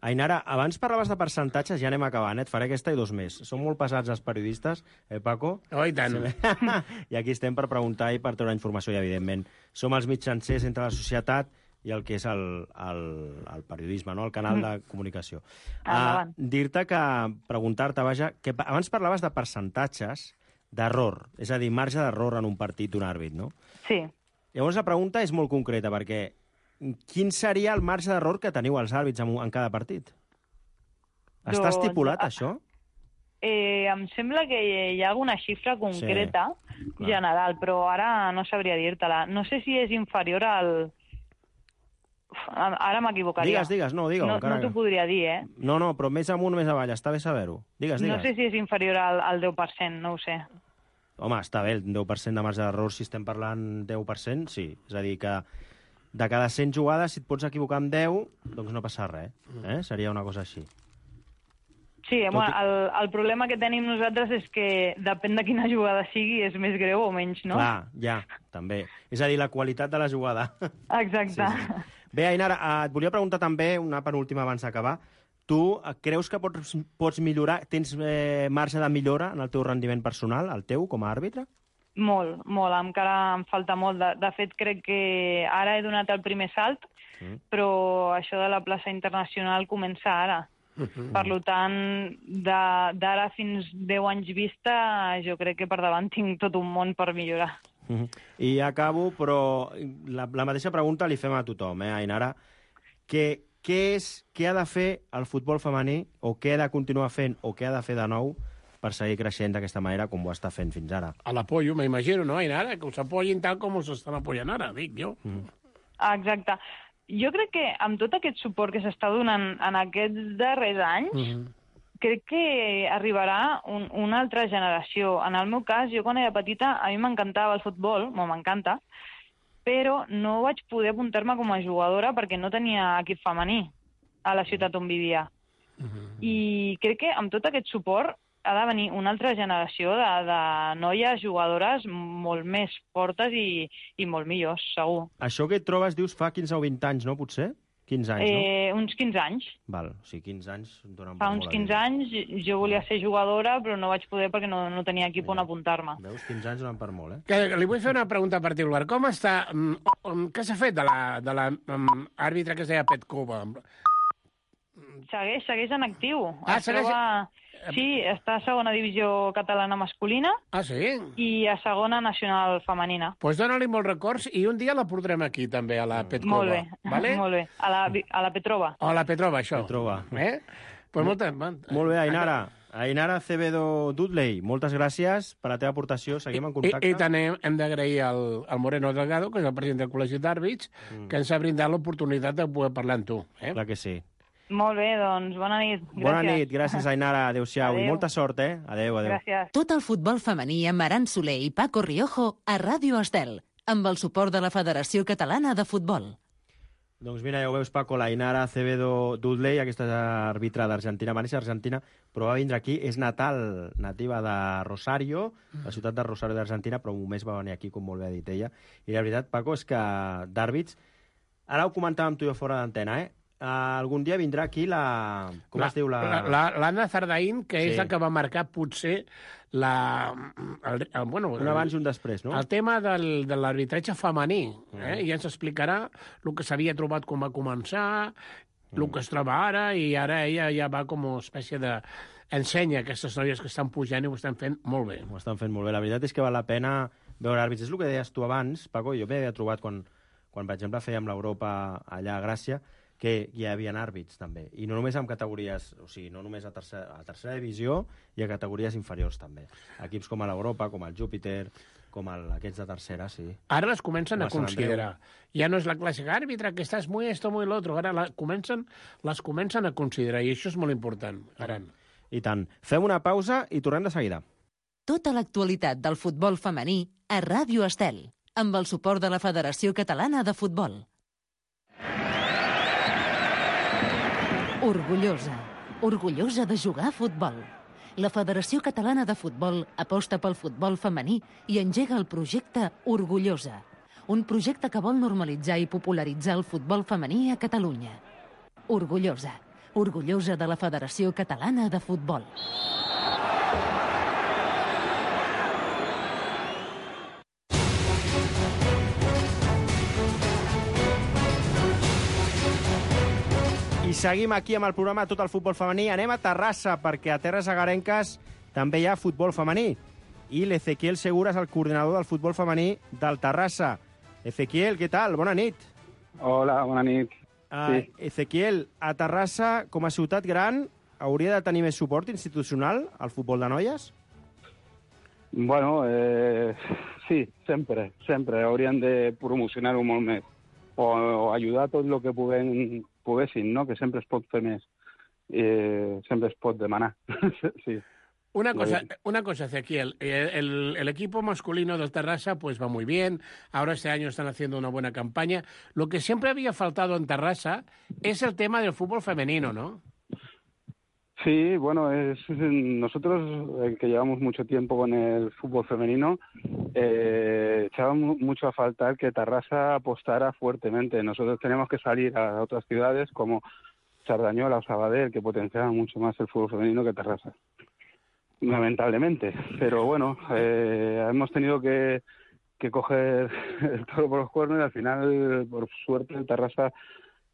Ainara, abans parlaves de percentatges, ja anem acabant, eh? Et faré aquesta i dos més. Són molt pesats els periodistes, eh, Paco? Oh, i tant. I aquí estem per preguntar i per treure informació, i evidentment som els mitjancers entre la societat i el que és el, el, el periodisme, no? El canal de comunicació. Uh, Dir-te que, preguntar-te, vaja, que abans parlaves de percentatges d'error, és a dir, marge d'error en un partit d'un àrbit, no? Sí. Llavors la pregunta és molt concreta, perquè quin seria el marge d'error que teniu els àrbits en, en cada partit? Està Doncs, estipulat, a- això? Eh, em sembla que hi ha alguna xifra concreta Sí, clar. general, però ara no sabria dir-te-la. No sé si és inferior al... Uf, ara m'equivocaria. Digues, digues, no, digue-ho. No, encara no t'ho que- podria dir, eh? No, no, però més amunt o més avall, està bé saber-ho. Digues, digues. No sé si és inferior al, al deu per cent, no ho sé. Home, està bé, el deu per cent de marge d'error, si estem parlant deu per cent, sí. És a dir, que de cada cent jugades, si et pots equivocar amb deu, doncs no passa res. Eh? Seria una cosa així. Sí, Tot bueno, i- el, el problema que tenim nosaltres és que depèn de quina jugada sigui, és més greu o menys, no? Clar, ja, també. És a dir, la qualitat de la jugada. Exacte. Sí, sí. Bé, Ainara, eh, et volia preguntar també, una penúltima abans d'acabar, tu eh, creus que pots, pots millorar, tens eh, marge de millora en el teu rendiment personal, el teu, com a àrbitre? Molt, molt. Encara em falta molt. De, de fet, crec que ara he donat el primer salt, Mm. però això de la plaça internacional comença ara. Per tant, de- d'ara fins deu anys vista, jo crec que per davant tinc tot un món per millorar. Mhm. I acabo, però la, la mateixa pregunta li fem a tothom, eh, Ainara. Què, què és, què ha de fer el futbol femení, o què ha de continuar fent, o què ha de fer de nou per seguir creixent d'aquesta manera com ho està fent fins ara? A l'apoyo, m'imagino, no, Ainara? Que us apoyin tal com us estan apoyant ara, dic jo. Mm. Ah, exacte. Jo crec que amb tot aquest suport que s'està donant en aquests darrers anys, Mm -hmm. crec que arribarà un, una altra generació. En el meu cas, jo quan era petita, a mi m'encantava el futbol, o m'encanta, però no vaig poder apuntar-me com a jugadora perquè no tenia equip femení a la ciutat on vivia. I crec que amb tot aquest suport ha de venir una altra generació de, de noies jugadores molt més fortes i, i molt millors, segur. Això que et trobes, dius, fa quinze o vint anys, no, potser? quinze anys, no? Eh, uns quinze anys. Val, o sigui, quinze anys donen Fa per uns molt quinze anys jo volia ser jugadora, però no vaig poder perquè no, no tenia equip on apuntar-me. Veus, quinze anys donen per molt, eh? Que, li vull fer una pregunta particular. Com està... Um, um, què s'ha fet de la, de la um, àrbitre que es deia Petkova? Segueix, segueix en actiu. Ah, Es segueix- troba... Sí, està a segona divisió catalana masculina Ah, sí? i a segona nacional femenina. Doncs pues dóna-li molts records i un dia la portarem aquí, també, a la Petkova. Molt bé, Vale? molt bé. A la, a la Petrova. O a la Petrova, això. Petrova. Eh? Pues molta... Molt bé, Ainara. Ainara Acevedo Dudley, moltes gràcies per la teva aportació. Seguim en I, contacte. i també hem d'agrair al, al Moreno Delgado, que és el president del Col·legi d'Àrbits, mm. que ens ha brindat l'oportunitat de poder parlar amb tu. Eh? Clar que sí. Molt bé, doncs bona nit. Gràcies. Bona nit, gràcies, Ainara. Adéu-siau. I Adéu. molta sort, eh? Adéu, adéu. Gràcies. Tot el futbol femení amb Aran Soler i Paco Riojo a Ràdio Estel, amb el suport de la Federació Catalana de Futbol. Doncs mira, ja ho veus, Paco, la Ainara Acevedo Dudley, aquesta àrbitre d'Argentina, va néixer a Argentina, però va vindre aquí, és natal, nativa de Rosario, la ciutat de Rosario d'Argentina, però un mes va venir aquí, com molt bé ha dit ella. I la veritat, Paco, és que d'àrbits, ara ho comentàvem tu i jo fora d'antena, eh? Uh, algun dia vindrà aquí la... Com la, es diu? La... L'Anna Zardaín, que sí. és la que va marcar potser la... El, el, bueno, un abans i un després, no? El tema del, de l'arbitratge femení. Eh? Mm. I ens explicarà el que s'havia trobat com va començar, el mm. que es troba ara, i ara ella ja va com una espècie de... Ensenya aquestes noies que estan pujant i ho estan fent molt bé. Ho estan fent molt bé. La veritat és que val la pena veure àrbits. És el que deies tu abans, Paco, jo m'havia trobat quan, quan, per exemple, fèiem l'Europa allà a Gràcia, que hi havia àrbits, també. I no només en categories, o sigui, no només a tercera, a tercera divisió, i a categories inferiors, també. Equips com a l'Europa, com el Júpiter, com el, aquests de tercera, sí. Ara les comencen a considerar. Ja no és la clàssica àrbitre, que estàs muy esto, muy lo otro. Ara la, comencen, les comencen a considerar, i això és molt important, Aran. I tant. Fem una pausa i tornem de seguida. Tota l'actualitat del futbol femení a Ràdio Estel, amb el suport de la Federació Catalana de Futbol. Orgullosa. Orgullosa de jugar a futbol. La Federació Catalana de Futbol aposta pel futbol femení i engega el projecte Orgullosa, un projecte que vol normalitzar i popularitzar el futbol femení a Catalunya. Orgullosa. Orgullosa de la Federació Catalana de Futbol. I seguim aquí amb el programa Tot el futbol femení. Anem a Terrassa, perquè a Terres Agarenques també hi ha futbol femení. I l'Ezequiel Segura és el coordinador del futbol femení del Terrassa. Ezequiel, què tal? Bona nit. Hola, bona nit. Uh, sí. Ezequiel, a Terrassa, com a ciutat gran, hauria de tenir més suport institucional al futbol de noies? Bueno, eh, sí, sempre, sempre. Haurien de promocionar-ho molt més. O, o ajudar tot el que puguem, poguessin, no? Que sempre es pot fer més. Eh, sempre es pot demanar. Sí. Una cosa, una cosa, Ezequiel. El, el equipo masculino del Terrassa pues va muy bien. Ahora este año están haciendo una buena campaña. Lo que siempre había faltado en Terrassa es el tema del fútbol femenino, ¿no? Sí, bueno, es, nosotros eh, que llevamos mucho tiempo con el fútbol femenino, eh, echábamos mucho a faltar que Terrassa apostara fuertemente. Nosotros tenemos que salir a otras ciudades como Sardañola o Sabadell, que potenciaban mucho más el fútbol femenino que Terrassa. Lamentablemente, pero bueno, eh, hemos tenido que, que coger el toro por los cuernos y al final, por suerte, el Terrassa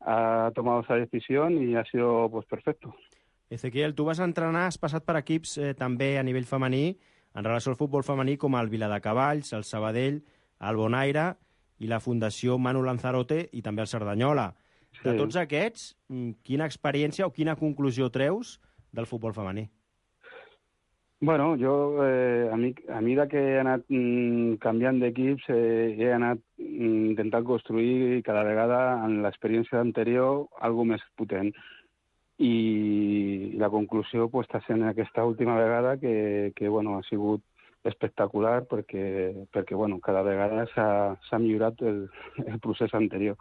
ha tomado esa decisión y ha sido pues perfecto. Ezequiel, tu vas entrenar, has passat per equips eh, també a nivell femení, en relació al futbol femení, com el Viladecavalls, el Sabadell, el Bonaire i la Fundació Manu Lanzarote i també el Cerdanyola. Sí. De tots aquests, quina experiència o quina conclusió treus del futbol femení? Bueno, jo, eh, a, mi, a mesura que he anat mm, canviant d'equips, eh, he anat mm, intentant construir cada vegada en l'experiència anterior algo més potent. I la conclusió pues, està sent aquesta última vegada que, que bueno, ha sigut espectacular perquè, perquè bueno, cada vegada s'ha millorat el, el procés anterior.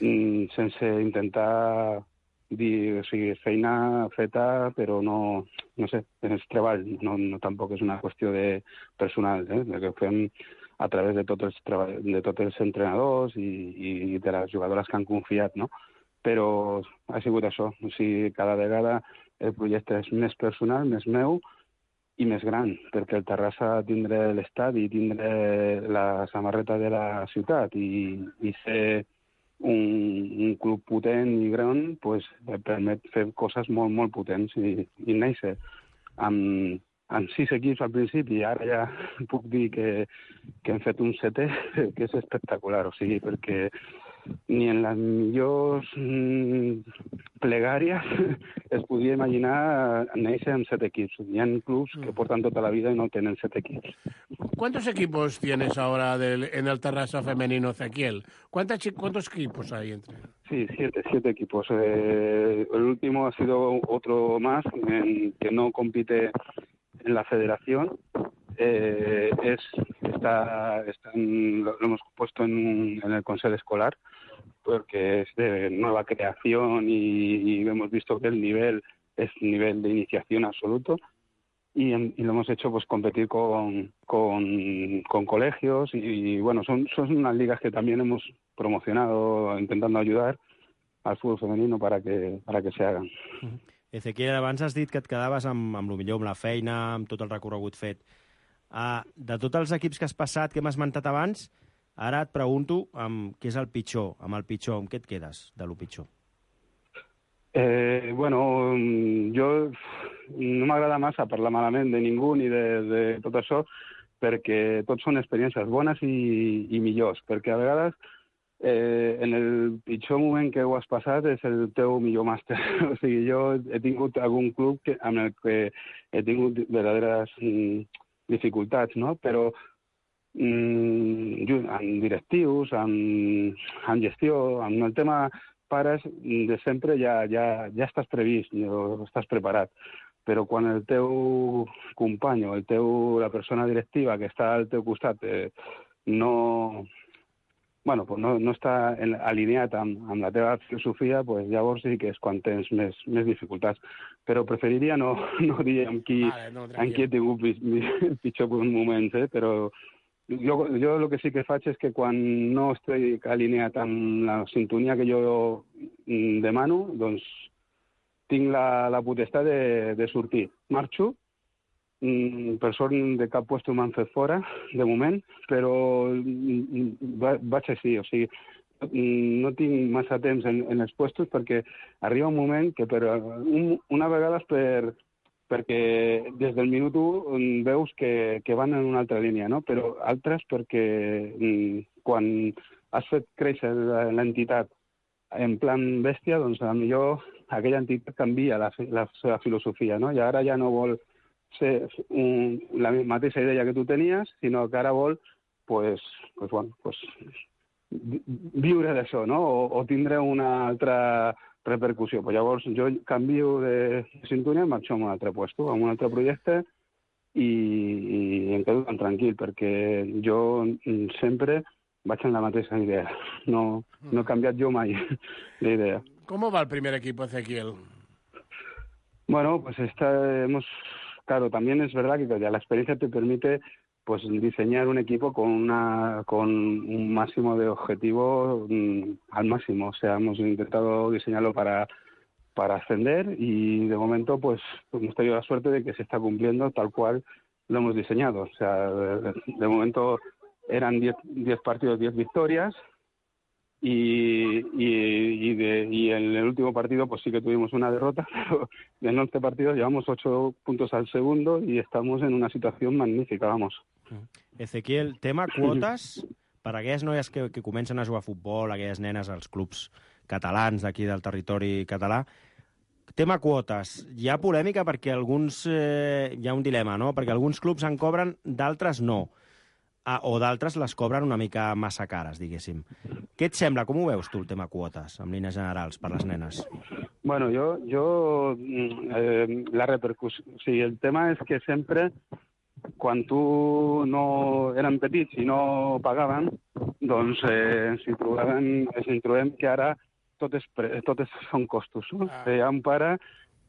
Mm, sense intentar dir, o sigui, feina feta, però no, no sé, és treball, no, no tampoc és una qüestió de personal, eh? Que ho fem a través de tots els, treball, de tots els entrenadors i, i de les jugadores que han confiat, no? Però ha sigut això, o sigui, cada vegada el projecte és més personal, més meu i més gran, perquè el Terrassa tindrà l'estadi, tindrà la samarreta de la ciutat i, i ser un, un club potent i gran pues, permet fer coses molt, molt potents i, i néixer amb, amb sis equips al principi i ara ja puc dir que, que hem fet un setè que és espectacular, o sigui, perquè ni en les millors mm, plegàries es podia imaginar néixer amb set equipos. Hi ha clubs que portan tota la vida y no tienen set equipos. ¿Cuántos equipos tienes ahora del, en el Terrassa femenino, Ezequiel? ¿Cuántos, ¿Cuántos equipos hay entre? Sí, siete, siete equipos. Eh, el último ha sido otro más en, que no compite en la federación. Eh, es está, está en, lo, lo hemos puesto en, un, en el consejo escolar porque es de nueva creación y, y hemos visto que el nivel es nivel de iniciación absoluto y, y lo hemos hecho pues competir con, con, con colegios y, y bueno, son, son unas ligas que también hemos promocionado intentando ayudar al fútbol femenino para que, para que se hagan. Ezequiel, abans has dit que et quedaves amb, amb el millor, amb la feina, amb tot el recorregut fet. Uh, de tots els equips que has passat, que m'has esmentat abans, ara et pregunto um, què és el pitjor, amb el pitjor, amb què et quedes de lo pitjor? Eh, bueno, jo no m'agrada massa parlar malament de ningú ni de, de tot això, perquè tots són experiències bones i, i millors, perquè a vegades eh, en el pitjor moment que ho has passat és el teu millor màster. O sigui, jo he tingut algun club que, amb el que he tingut verdaderes mm, dificultats, no? Però mm, amb directius, amb, amb gestió, amb el tema pares, de sempre ja, ja, ja estàs previst, ja estàs preparat. Però quan el teu company o el teu, la persona directiva que està al teu costat eh, no, bueno, pues no, no està en, alineat amb, amb la teva filosofia, pues llavors sí que és quan tens més, més dificultats. Però preferiria no, no dir amb qui, vale, no, amb qui he tingut pitjor moments, eh? Però jo, jo el que sí que faig és que quan no estic alineat amb la sintonia que jo demano, doncs tinc la, la potestat de, de sortir. Marxo, per sort de cap puesto m'han fet fora, de moment, però vaig així, o sigui, no tinc massa temps en, en els puestos perquè arriba un moment que per un, una vegada per, perquè des del minut un veus que, que van en una altra línia, no? Però altres perquè quan has fet créixer l'entitat en plan bèstia, doncs potser aquella entitat canvia la, la seva filosofia, no? I ara ja no vol ser un, la mateixa idea que tu tenies, sinó que ara vol pues, pues, bueno, pues, viure d'això, no? O, o tindre una altra repercussió. Pues llavors jo canvio de sintonia i marxo a un altre puesto, a un altre projecte i, i em quedo tan tranquil, perquè jo sempre vaig en la mateixa idea. No, no he canviat jo mai d'idea. ¿Cómo va el primer equipo, Ezequiel? Bueno, pues esta, hemos... Claro, también es verdad que la experiencia te permite pues diseñar un equipo con una con un máximo de objetivo mmm, al máximo. O sea, hemos intentado diseñarlo para, para ascender y de momento pues hemos tenido la suerte de que se está cumpliendo tal cual lo hemos diseñado. O sea, de, de momento eran diez partidos, diez victorias. Y, y, y, de, y en el último partido pues sí que tuvimos una derrota, pero en once partidos llevamos ocho puntos al segundo y estamos en una situación magnífica, vamos. Ezequiel, tema quotes per a aquelles noies que, que comencen a jugar a futbol, aquelles nenes als clubs catalans d'aquí del territori català. Tema quotes. Hi ha polèmica perquè alguns... Eh, hi ha un dilema, no? Perquè alguns clubs en cobren, d'altres no. Ah, o d'altres les cobren una mica massa cares, diguéssim. Què et sembla? Com ho veus tu, el tema quotes, en línies generals, per les nenes? Bueno, jo... jo eh, la repercussió... O sigui, el tema és que sempre, quan tu no eren petits i no pagaven, doncs eh, ens, hi trobem, ens hi trobem que ara tot, és pre, tot és, són costos. No? Ah. Hi ha un pare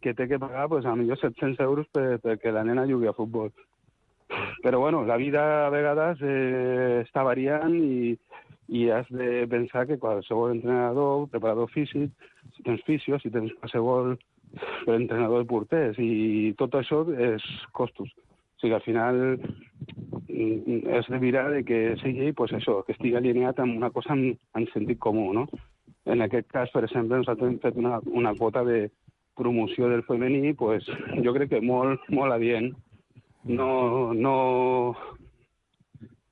que té que pagar pues, a millor set-cents euros per, perquè la nena jugui a futbol. Però bueno, la vida a vegades eh, està variant i, i has de pensar que qualsevol entrenador, preparador físic, si tens fisio, si tens qualsevol entrenador de porters, i tot això és costos. O sigui, al final és de mirar de que sigui pues, això, que estigui alineat amb una cosa en, en sentit comú, no? En aquest cas, per exemple, nosaltres hem fet una, una quota de promoció del femení, pues, jo crec que molt, molt adient. No, no,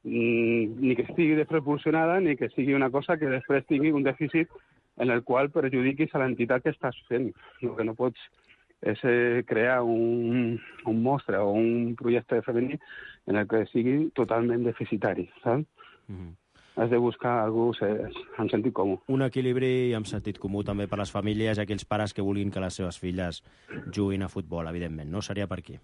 ni que estigui desproporcionada, ni que sigui una cosa que després tingui un dèficit en el qual perjudiquis a l'entitat que estàs fent. El que no pots és eh, crear un, un mostre o un projecte femení en el que sigui totalment deficitari, saps? Mm-hmm. Has de buscar algú en sentit comú. Un equilibri amb sentit comú també per les famílies i aquells pares que vulguin que les seves filles juguin a futbol, evidentment. No seria per aquí.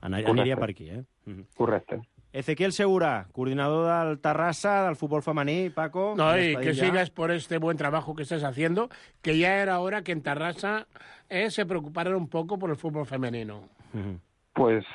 Aniria Correcte. Per aquí, eh? Mm-hmm. Correcte. Ezequiel Segura, coordinador del Terrassa, del fútbol femení, Paco. No, y que ya. Sigas por este buen trabajo que estás haciendo, que ya era hora que en Terrassa eh, se preocuparan un poco por el fútbol femenino. Uh-huh. Pues,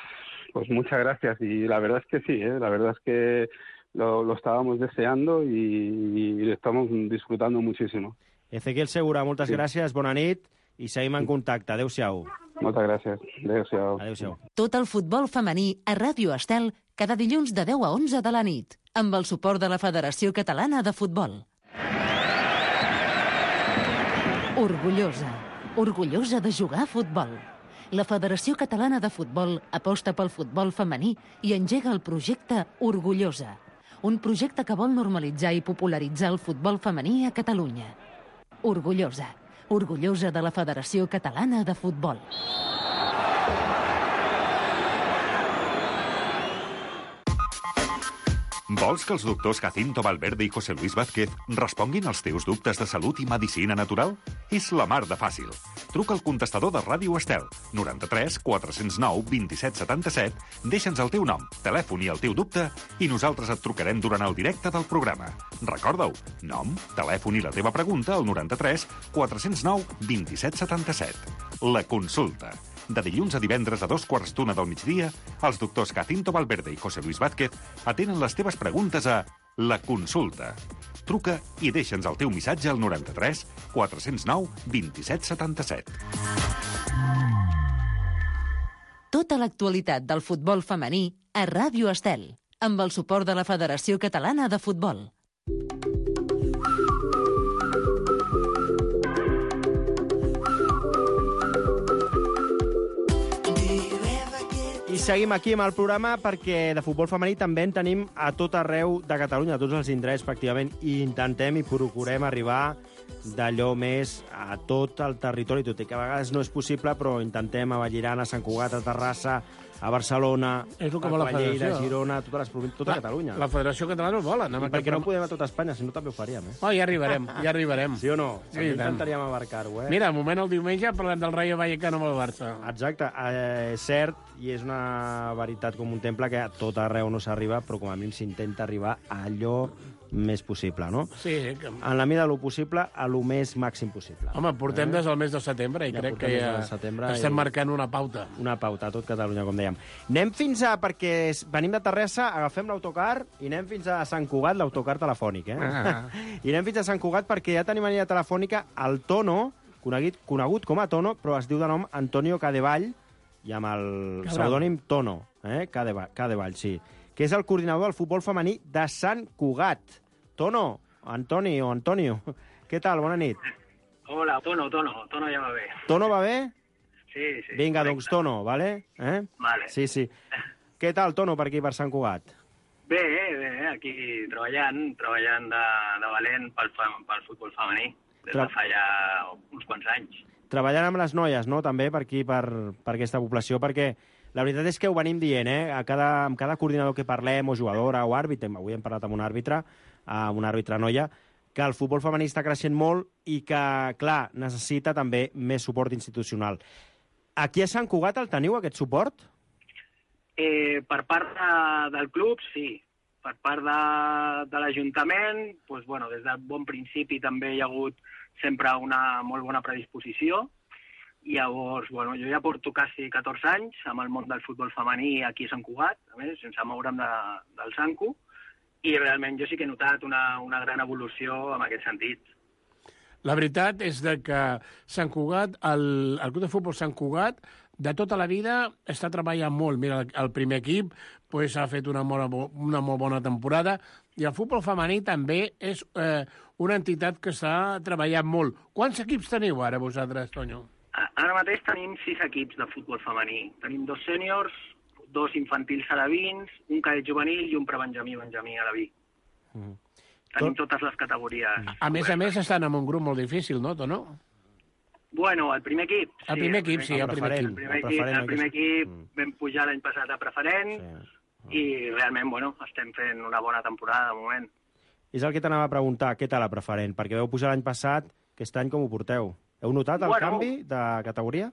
pues muchas gracias, y la verdad es que sí, ¿eh? La verdad es que lo, lo estábamos deseando y, y lo estamos disfrutando muchísimo. Ezequiel Segura, moltes sí. gràcies, bona nit, i seguim en contacte. Adéu-siau. Moltes gràcies. Adéu-siau. Adéu-siau. Tot el futbol femení a Ràdio Estel cada dilluns de deu a onze de la nit, amb el suport de la Federació Catalana de Futbol. Orgullosa. Orgullosa de jugar a futbol. La Federació Catalana de Futbol aposta pel futbol femení i engega el projecte Orgullosa, un projecte que vol normalitzar i popularitzar el futbol femení a Catalunya. Orgullosa. Orgullosa de la Federació Catalana de Futbol. Vols que els doctors Jacinto Valverde i José Luis Vázquez responguin als teus dubtes de salut i medicina natural? És la mar de fàcil. Truca al contestador de Ràdio Estel, noranta-tres quatre cents nou vint-i-set setanta-set, deixa'ns el teu nom, telèfon i el teu dubte i nosaltres et trucarem durant el directe del programa. Recorda-ho, nom, telèfon i la teva pregunta al noranta-tres quatre cents nou vint-i-set setanta-set. La consulta. De dilluns a divendres a dos quarts d'una del migdia, els doctors Jacinto Valverde i José Luis Vázquez atenen les teves preguntes a La Consulta. Truca i deixa'ns el teu missatge al noranta-tres quatre cents nou vint-i-set setanta-set. Tota l'actualitat del futbol femení a Ràdio Estel, amb el suport de la Federació Catalana de Futbol. I seguim aquí amb el programa perquè de futbol femení també en tenim a tot arreu de Catalunya, a tots els indrets pràcticament, i intentem i procurem arribar d'allò més a tot el territori, tot i que a vegades no és possible, però intentem a Vallirana, a Sant Cugat, a Terrassa, a Barcelona, és a Lleida, a Girona, a totes les províncies, tota Catalunya. La Federació Catalana ho vol. I perquè no podem a tota Espanya, si no també ho faríem, eh? Oh, ja arribarem, ja arribarem. Sí o no? Sí, intentaríem abarcar-ho, eh? Mira, un moment el diumenge parlem del Rayo Vallecano amb el Barça. Exacte, eh, és cert, i és una veritat com un temple que a tot arreu no s'arriba, però com a mínim s'intenta arribar a allò més possible, no? Sí. Que... En la mida del possible, a lo més màxim possible. Home, portem eh? des del mes de setembre i ja crec que ja estem i... marcant una pauta. Una pauta a tot Catalunya, com dèiem. Anem fins a, perquè venim de Terrassa, agafem l'autocar i anem fins a Sant Cugat, l'autocar telefònic, eh? Ah. I anem fins a Sant Cugat perquè ja tenim a línia telefònica el Tono, conegut, conegut com a Tono, però es diu de nom Antonio Cadevall, i amb el pseudònim Tono, eh? Cadevall, Cadevall, sí, que és el coordinador del futbol femení de Sant Cugat. Tono, Antoni o Antonio, què tal? Bona nit. Hola, Tono, Tono, Tono ja va bé. Tono va bé? Sí, sí. Vinga, doncs Tono, vale? Eh? Vale. Sí, sí. Què tal, Tono, per aquí, per Sant Cugat? Bé, bé, aquí treballant, treballant de, de valent pel, pel futbol femení, des Tra... de fa ja uns quants anys. Treballant amb les noies, no?, també, per aquí, per, per aquesta població, perquè la veritat és que ho venim dient, eh? A cada, amb cada coordinador que parlem, o jugadora, o àrbitre, avui hem parlat amb un àrbitre, amb una àrbitre noia, que el futbol femení està creixent molt i que, clar, necessita també més suport institucional. Aquí a Sant Cugat el teniu, aquest suport? Eh, per part de, del club, sí. per part de, de l'Ajuntament, doncs, bueno, des del bon principi també hi ha hagut sempre una molt bona predisposició. I llavors, bueno, jo ja porto quasi catorze anys amb el món del futbol femení aquí a Sant Cugat, a més, sense moure'm de, del Sanco, i realment jo sí que he notat una, una gran evolució en aquest sentit. La veritat és de que Sant Cugat, el, el Club de Futbol Sant Cugat, de tota la vida està treballant molt. Mira, el primer equip pues, ha fet una molt, una molt bona temporada i el futbol femení també és eh, una entitat que està treballant molt. Quants equips teniu ara vosaltres, Tonyo? Ara mateix tenim sis equips de futbol femení. Tenim dos sèniors, dos infantils alevins, un cadet juvenil i un prebenjamí benjamí aleví. Mm. Tenim Tot... totes les categories. A més a més estan en un grup molt difícil, no, Tono? Bueno, el primer equip. El primer sí, equip, sí, el primer equip. El primer equip, el primer equip vam pujar l'any passat a preferent i realment, bueno, estem fent una bona temporada de moment. És el que t'anava a preguntar, què tal a preferent? Perquè vau pujar l'any passat, aquest any com ho porteu? Heu notat el bueno, canvi de categoria?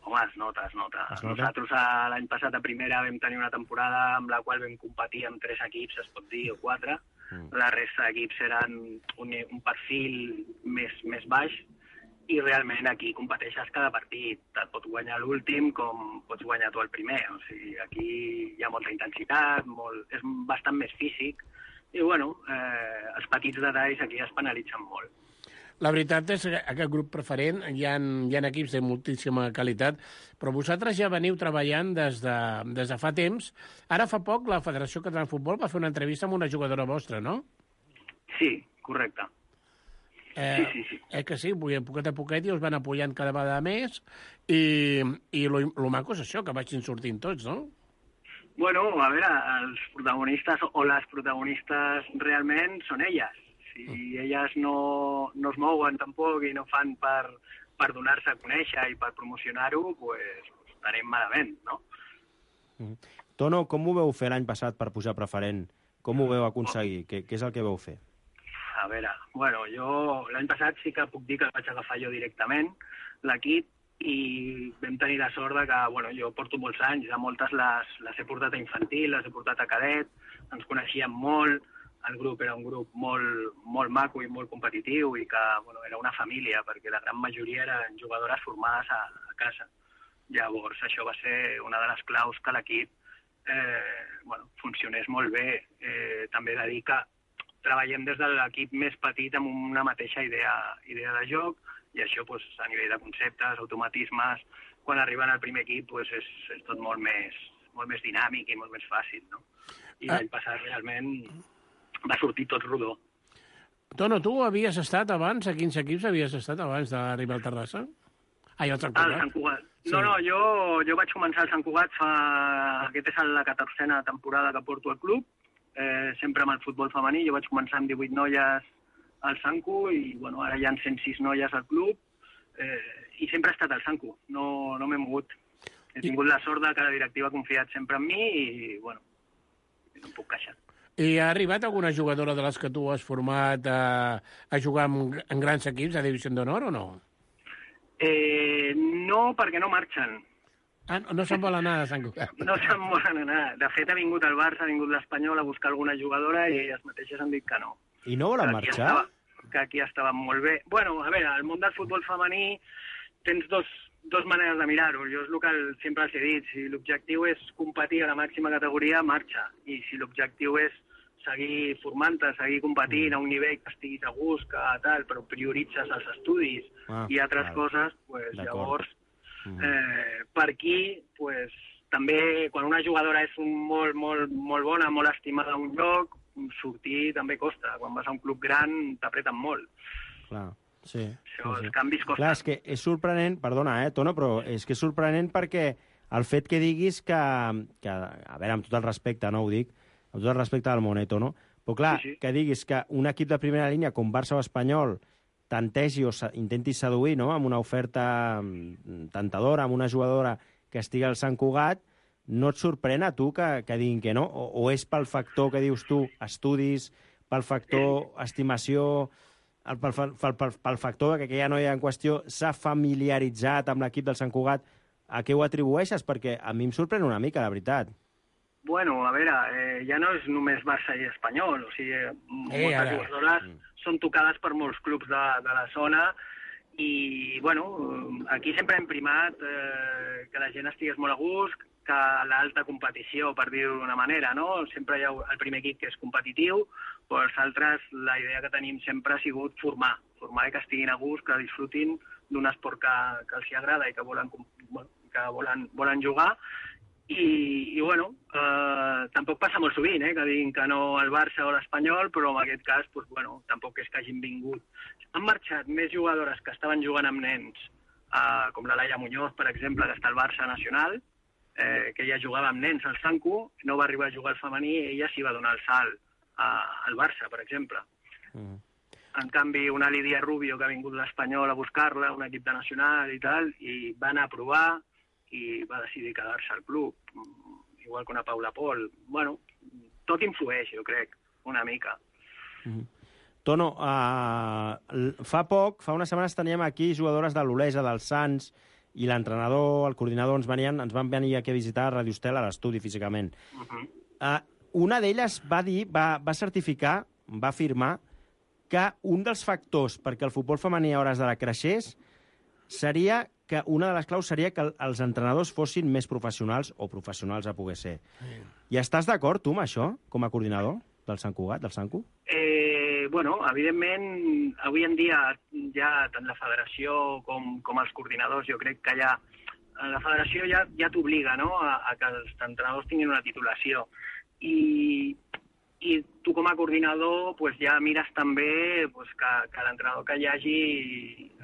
Home, es nota, es nota. Es nota? Nosaltres l'any passat a primera vam tenir una temporada amb la qual vam competir amb tres equips, es pot dir, o quatre. Mm. La resta d'equips eren un, un perfil més, més baix i realment aquí competeixes cada partit. Et pot guanyar l'últim com pots guanyar tu el primer. O sigui, aquí hi ha molta intensitat, molt, és bastant més físic i, bueno, eh, els petits detalls aquí es penalitzen molt. La veritat és que aquest grup preferent hi ha, hi ha equips de moltíssima qualitat, però vosaltres ja veniu treballant des de, des de fa temps. Ara fa poc la Federació Catalana de Futbol va fer una entrevista amb una jugadora vostra, no? Sí, correcte. Eh, sí, sí, sí. Eh que sí, poquet a poquet i us van apoyant cada vegada més i, i lo, lo maco és això, que vagin sortint tots, no? Bueno, a veure, els protagonistes o les protagonistes realment són elles. Si elles no, no es mouen tampoc i no fan per, per donar-se a conèixer i per promocionar-ho, pues, estarem malament, no? Mm. Tono, com ho veu fer l'any passat per pujar preferent? Com ho veu aconseguir? Què, què és el que veu fer? A veure, bueno, jo l'any passat sí que puc dir que el vaig agafar jo directament, l'equip, i vam tenir la sort de que, bueno, jo porto molts anys, de moltes les, les he portat a infantil, les he portat a cadet, ens coneixíem molt, el grup era un grup molt, molt maco i molt competitiu i que, bueno, era una família, perquè la gran majoria eren jugadores formades a, a casa. Llavors, això va ser una de les claus que l'equip eh, bueno, funcionés molt bé. Eh, també he de dir que treballem des de l'equip més petit amb una mateixa idea, idea de joc, i això pues, a nivell de conceptes, automatismes, quan arriben al primer equip pues, és, és tot molt més, molt més dinàmic i molt més fàcil. No? I l'any passat realment va sortir tot rodó. Tono, tu havies estat abans, a quins equips havies estat abans d'arribar al Terrassa? Ai, al Sant Cugat. Al Sant Cugat. Sí. No, no, jo, jo vaig començar al Sant Cugat fa... Aquest és la catorzena temporada que porto al club, eh, sempre amb el futbol femení. Jo vaig començar amb divuit noies al Sanco i, bueno, ara hi ha cent sis noies al club eh, i sempre he estat al Sanco, no, no m'he mogut. He tingut la sort de que la directiva ha confiat sempre en mi i, bueno, no em puc queixar. I ha arribat alguna jugadora de les que tu has format a, a jugar en, en grans equips a Divisió d'Honor o no? Eh, no, perquè no marxen. Ah, no, no se'n vol anar a Sant Cugat. No se'n volen anar. De fet, ha vingut el Barça, ha vingut l'Espanyol a buscar alguna jugadora i elles mateixes han dit que no. I no volen que marxar? Estava, que aquí estaven molt bé. Bueno, a veure, al món del futbol femení tens dos, dos maneres de mirar-ho. Jo és el que sempre els he dit. Si l'objectiu és competir a la màxima categoria, marxa. I si l'objectiu és seguir formant-te, seguir competint mm. a un nivell que estiguis a gust, que tal, però prioritzes els estudis ah, i altres clar. coses, pues, llavors, mm. eh, per aquí, pues, també, quan una jugadora és un molt, molt, molt bona, molt estimada a un lloc, sortir també costa. Quan vas a un club gran, t'apreten molt. Clar, sí. Això, sí, sí. Els canvis costen. Clar, és que és sorprenent, perdona, eh, Tono, però és que és sorprenent perquè el fet que diguis que, que a veure, amb tot el respecte, no ho dic, amb tot el respecte del Moneto, no? Però clar, sí, sí. que diguis que un equip de primera línia com Barça o Espanyol tantegi o intenti seduir, no?, amb una oferta tentadora, amb una jugadora que estigui al Sant Cugat, no et sorprèn a tu que, que diguin que no? O, o és pel factor que dius tu, estudis, pel factor estimació, el, pel, pel, pel, pel factor que aquella noia en qüestió s'ha familiaritzat amb l'equip del Sant Cugat, a què ho atribueixes? Perquè a mi em sorprèn una mica, la veritat. Bueno, a veure, eh, ja no és només Barça i Espanyol, o sigui, eh, moltes ara. jugadores són tocades per molts clubs de, de la zona i, bueno, aquí sempre hem primat eh, que la gent estigués molt a gust, que l'alta competició, per dir-ho d'una manera, no? Sempre hi ha el primer equip que és competitiu, però els altres, la idea que tenim sempre ha sigut formar, formar i que estiguin a gust, que disfrutin d'un esport que, que els hi agrada i que volen, que volen, volen jugar. I, i bueno, eh, tampoc passa molt sovint, eh, que diguin que no el Barça o l'Espanyol, però en aquest cas, pues, bueno, tampoc és que hagin vingut. Han marxat més jugadores que estaven jugant amb nens, eh, com la Laia Muñoz, per exemple, que està al Barça nacional, eh, que ella jugava amb nens al Sanku, no va arribar a jugar al femení, i ella s'hi va donar el salt eh, al Barça, per exemple. Mm. En canvi, una Lídia Rubio, que ha vingut l'Espanyol a buscar-la, un equip de nacional i tal, i va anar a provar, i va decidir quedar-se al club, igual que una Paula Pol. Bueno, tot influeix, jo crec, una mica. Mm-hmm. Tono, uh, fa poc, fa unes setmanes teníem aquí jugadores de l'Olesa, del Sants, i l'entrenador, el coordinador, ens, venien, ens van venir aquí a visitar a Radio Estel a l'estudi físicament. Uh-huh. Uh, una d'elles va dir, va, va certificar, va afirmar, que un dels factors perquè el futbol femení a hores d'ara creixés seria que una de les claus seria que els entrenadors fossin més professionals o professionals a poder ser. Sí. I estàs d'acord, tu, amb això, com a coordinador del Sant Cugat, del Sanku? Eh, bueno, evidentment, avui en dia ja tant la federació com, com els coordinadors, jo crec que ja la federació ja, ja t'obliga, no?, a, a que els entrenadors tinguin una titulació. I, i tu com a coordinador pues, ja mires també pues, que, que l'entrenador que hi hagi,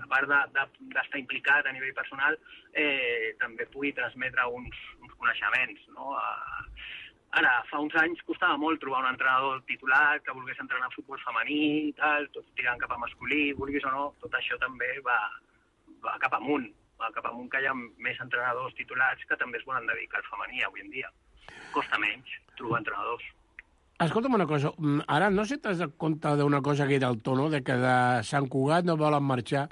a part d'estar de, de, implicat a nivell personal, eh, també pugui transmetre uns, uns coneixements. No? Ara, fa uns anys costava molt trobar un entrenador titular que volgués entrenar futbol femení i tal, tots tirant cap a masculí, vulguis o no, tot això també va, va cap amunt, va cap amunt que hi ha més entrenadors titulats que també es volen dedicar al femení avui en dia. Costa menys trobar entrenadors. Escolta'm una cosa, ara no sé si t'has de compte d'una cosa que era el Tono, de que de Sant Cugat no volen marxar,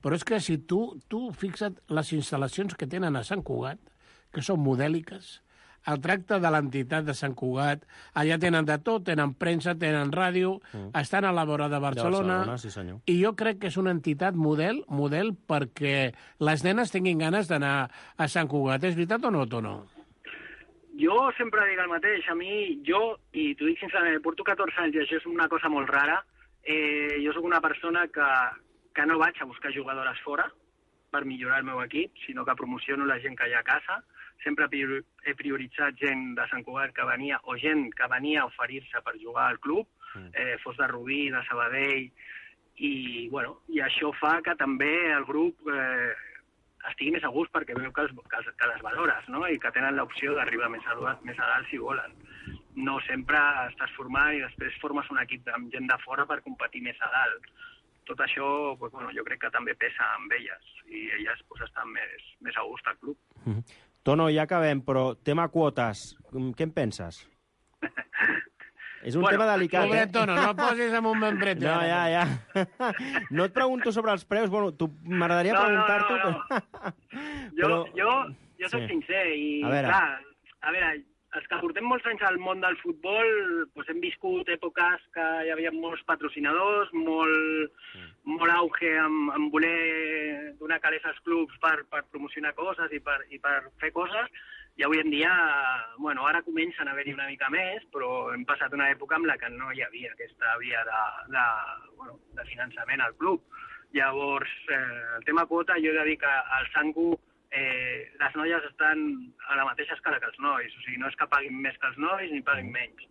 però és que si tu, tu fixa't les instal·lacions que tenen a Sant Cugat, que són modèliques, el tracte de l'entitat de Sant Cugat, allà tenen de tot, tenen premsa, tenen ràdio, mm. estan a la vora de Barcelona, de Barcelona, sí senyor. I jo crec que és una entitat model, model perquè les nenes tinguin ganes d'anar a Sant Cugat. És veritat o no, Tono? Jo sempre dic el mateix, a mi, jo, i t'ho dic sincerament, porto catorze anys i això és una cosa molt rara, eh, jo sóc una persona que, que no vaig a buscar jugadores fora per millorar el meu equip, sinó que promociono la gent que hi ha a casa, sempre he prioritzat gent de Sant Cugat que venia, o gent que venia a oferir-se per jugar al club, eh, fos de Rubí, de Sabadell, i, bueno, i això fa que també el grup eh, estigui més a gust perquè veu que, els, que, els, que les valores, no? I que tenen l'opció d'arribar més, més a dalt si volen. No sempre estàs formant i després formes un equip amb gent de fora per competir més a dalt. Tot això, pues, bueno, jo crec que també pesa amb elles i elles pues, estan més, més a gust al club. Mm-hmm. Tono, ja acabem, però tema quotes, què en penses? És un bueno, tema delicat, pobre, eh? Tono, no posis amb un membret. No, ja, ja. No et pregunto sobre els preus, bueno, m'agradaria no, preguntar-t'ho. No, no, no. Però... Jo, jo, jo soc sí. sincer i, a veure. clar, a veure, els que portem molts anys al món del futbol doncs hem viscut èpoques que hi havia molts patrocinadors, molt, mm. molt auge en, en voler donar calés als clubs per, per promocionar coses i per, i per fer coses, i avui en dia, bueno, ara comencen a haver-hi una mica més, però hem passat una època en la que no hi havia aquesta via de, de, bueno, de finançament al club. Llavors, eh, el tema quota, jo he de dir que al Sanku eh, les noies estan a la mateixa escala que els nois, o sigui, no és que paguin més que els nois ni paguin menys.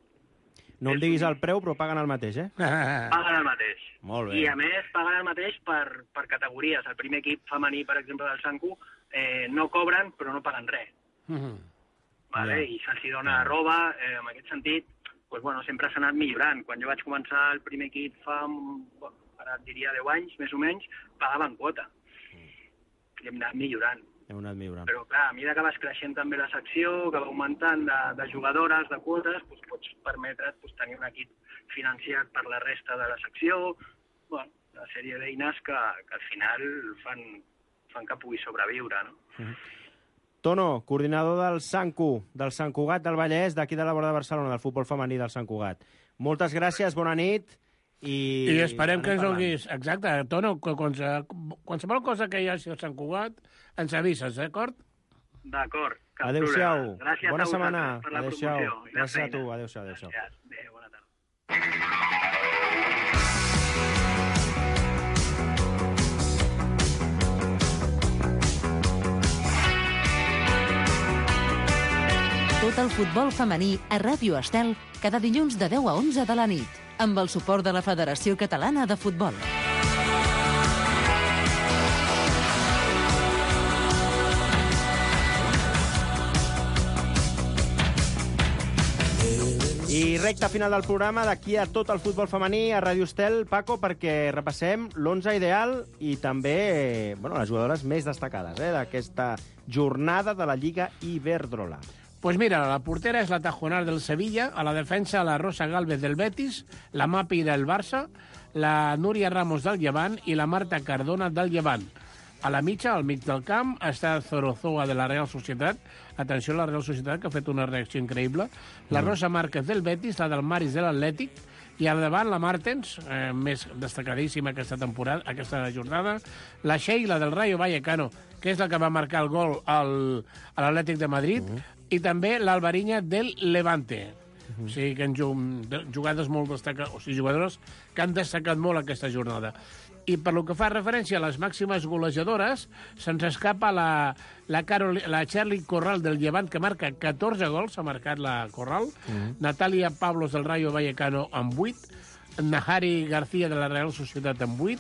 No em diguis el preu, però paguen el mateix, eh? Paguen el mateix. Molt bé. I, a més, paguen el mateix per, per categories. El primer equip femení, per exemple, del Sanku, eh, no cobren, però no paguen res. Mm-hmm. Vale? Yeah. I se'ls dona yeah. arroba, eh, en aquest sentit, pues, bueno, sempre s'ha anat millorant. Quan jo vaig començar el primer equip fa, bueno, ara et diria deu anys, més o menys, pagaven quota. Mm. I hem anat millorant. Hem anat millorant. Però, clar, a mesura que vas creixent també la secció, que va augmentant de, de jugadores, de quotes, pues, pots permetre't pues, tenir un equip financiat per la resta de la secció, bueno, una sèrie d'eines que, que al final fan, fan que pugui sobreviure, no? Mm-hmm. Tono, coordinador del Sancu, del Sant Cugat del Vallès, d'aquí de la vora de Barcelona, del futbol femení del Sant Cugat. Moltes gràcies, bona nit. I, I esperem que ens donis... Exacte, Tono, qualsevol cosa que hi hagi al Sant Cugat, ens avises, d'acord? D'acord. Adéu-siau. Gràcies bona a setmana. per la Adéu-siau. promoció. Gràcies a tu. Adéu-siau. Adéu-siau. Adéu, bona tarda. Tot el futbol femení a Ràdio Estel cada dilluns de deu a onze de la nit, amb el suport de la Federació Catalana de Futbol. I recta final del programa, d'aquí a tot el futbol femení a Ràdio Estel, Paco, perquè repassem l'onze ideal i també bueno, les jugadores més destacades eh, d'aquesta jornada de la Lliga Iberdrola. Pues mira, la portera és la Tajonar del Sevilla, a la defensa la Rosa Gálvez del Betis, la Mapi del Barça, la Núria Ramos del Llevant i la Marta Cardona del Llevant. A la mitja, al mig del camp, està Zorozoa de la Real Societat. Atenció a la Real Societat, que ha fet una reacció increïble. La Rosa Márquez del Betis, la del Maris de l'Atlètic, i al davant la Martens, eh, més destacadíssima aquesta temporada, aquesta jornada, la Sheila del Rayo Vallecano, que és la que va marcar el gol al, a l'Atlètic de Madrid, uh -huh. i també l'Albariña del Levante. Uh -huh. O sigui que han jugades molt destacades, o sigui, jugadores que han destacat molt aquesta jornada. I per lo que fa referència a les màximes golejadores, se'ns escapa la, la, Carol, la Charlie Corral del Llevant, que marca catorze gols, ha marcat la Corral, uh-huh. Natalia Pablos del Rayo Vallecano amb vuit, Nahari García de la Real Societat amb vuit,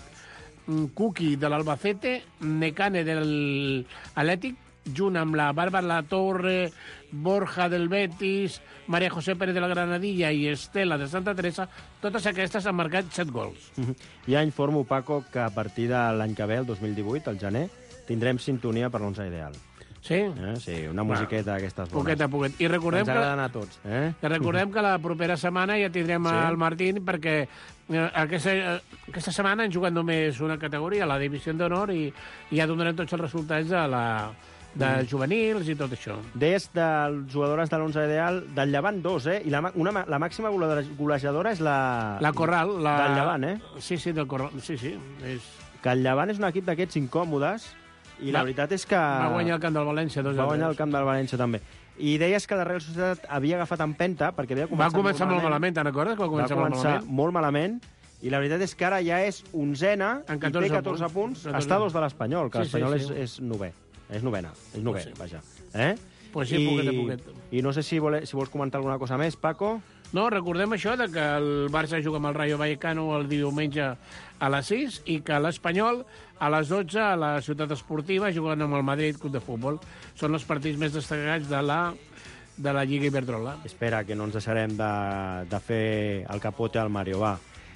Kuki de l'Albacete, Necane del Atlètic, junt amb la Bàrbara La Torre, Borja del Betis, María José Pérez de la Granadilla i Estela de Santa Teresa, totes aquestes han marcat set gols. Uh-huh. Ja informo, Paco, que a partir de l'any que ve, el dos mil divuit, al gener, tindrem sintonia per l'onze ideal. Sí? Eh? Sí, una musiqueta d'aquestes bones. Poquet a poquet. I recordem Ens agrada anar a tots. Eh? Que recordem que la propera setmana ja tindrem sí? el Martín, perquè eh, aquesta, eh, aquesta setmana han jugat només una categoria, la Divisió d'Honor, i, i ja donarem tots els resultats de la... de mm. juvenils i tot això. Deies de les jugadores de l'onze ideal, del Llevant dos, eh? I la, una, la màxima golejadora és la... La Corral. La... Del Llevant, eh? Sí, sí, del Corral. Sí, sí. És... Que el Llevant és un equip d'aquests incòmodes i la, la veritat és que... Va guanyar el camp del València. Dos va guanyar el camp del València, també. I deies que la Real Societat havia agafat empenta perquè havia començat, va començar molt malament. malament, te'n recordes? Va començar, va començar molt, malament. molt malament. I la veritat és que ara ja és onzena i té catorze punts. punts. Està a dos de l'Espanyol, que sí, l'Espanyol sí, sí. és, és novè. És novena, és novè, pues sí. vaja. Eh? Pues sí, I, poquet a poquet. I no sé si, vole, si vols comentar alguna cosa més, Paco. No, recordem això, de que el Barça juga amb el Rayo Vallecano el diumenge a les sis i que l'Espanyol a les dotze a la Ciutat Esportiva jugant amb el Madrid Club de Futbol. Són els partits més destacats de la, de la Lliga Iberdrola. Espera, que no ens deixarem de, de fer el capote al Mario, va.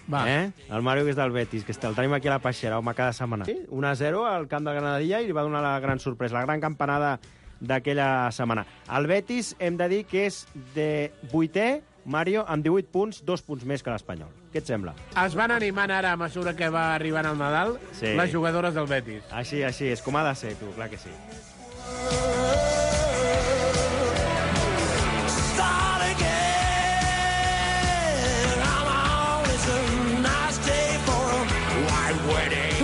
Va. Eh? El Mario, que és del Betis, que el tenim aquí a la Peixera, home, cada setmana. Sí, un a zero al camp de Granadilla i li va donar la gran sorpresa, la gran campanada d'aquella setmana. El Betis, hem de dir que és de vuitè, Mario, amb divuit punts, dos punts més que l'Espanyol. Què et sembla? Es van animant ara, a mesura que va arribant el Nadal, sí. les jugadores del Betis. Així, així, és com ha de ser, tu, clar que sí.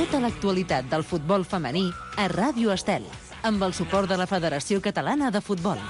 Tota l'actualitat del futbol femení a Ràdio Estel, amb el suport de la Federació Catalana de Futbol.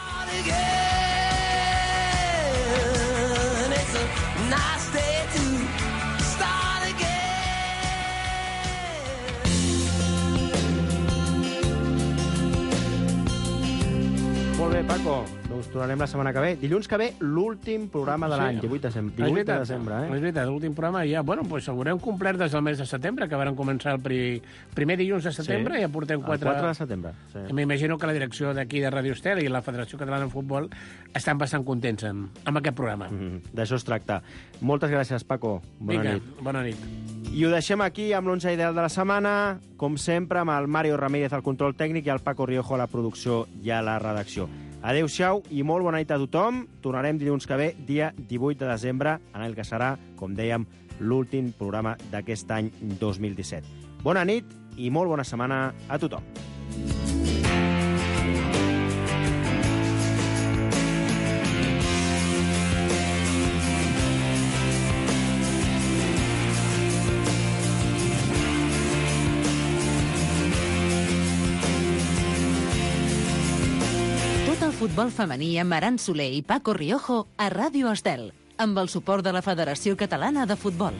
Molt bé, Paco. Doncs tornarem la setmana que ve. Dilluns que ve, l'últim programa de l'any, divuit de desembre. divuit de desembre, eh? És veritat, l'últim programa ja... Bueno, doncs haurem complert des del mes de setembre, que varen començar el pri... primer dilluns de setembre, sí. i ja portem quatre... El quatre de setembre, sí. M'imagino que la direcció d'aquí de Radio Estel i la Federació Catalana de Futbol estan bastant contents amb, amb aquest programa. Mm -hmm. D'això es tracta. Moltes gràcies, Paco. Bona Vinga, nit. bona nit. I ho deixem aquí amb l'onze ideal de la setmana, com sempre, amb el Mario Ramírez al control tècnic i el Paco Riojo a la producció i a la redacció. Adéu-siau i molt bona nit a tothom. Tornarem dilluns que ve, dia divuit de desembre, en el que serà, com dèiem, l'últim programa d'aquest any dos mil disset. Bona nit i molt bona setmana a tothom. futbol femení amb Aran Soler i Paco Riojo a Ràdio Estel, amb el suport de la Federació Catalana de Futbol.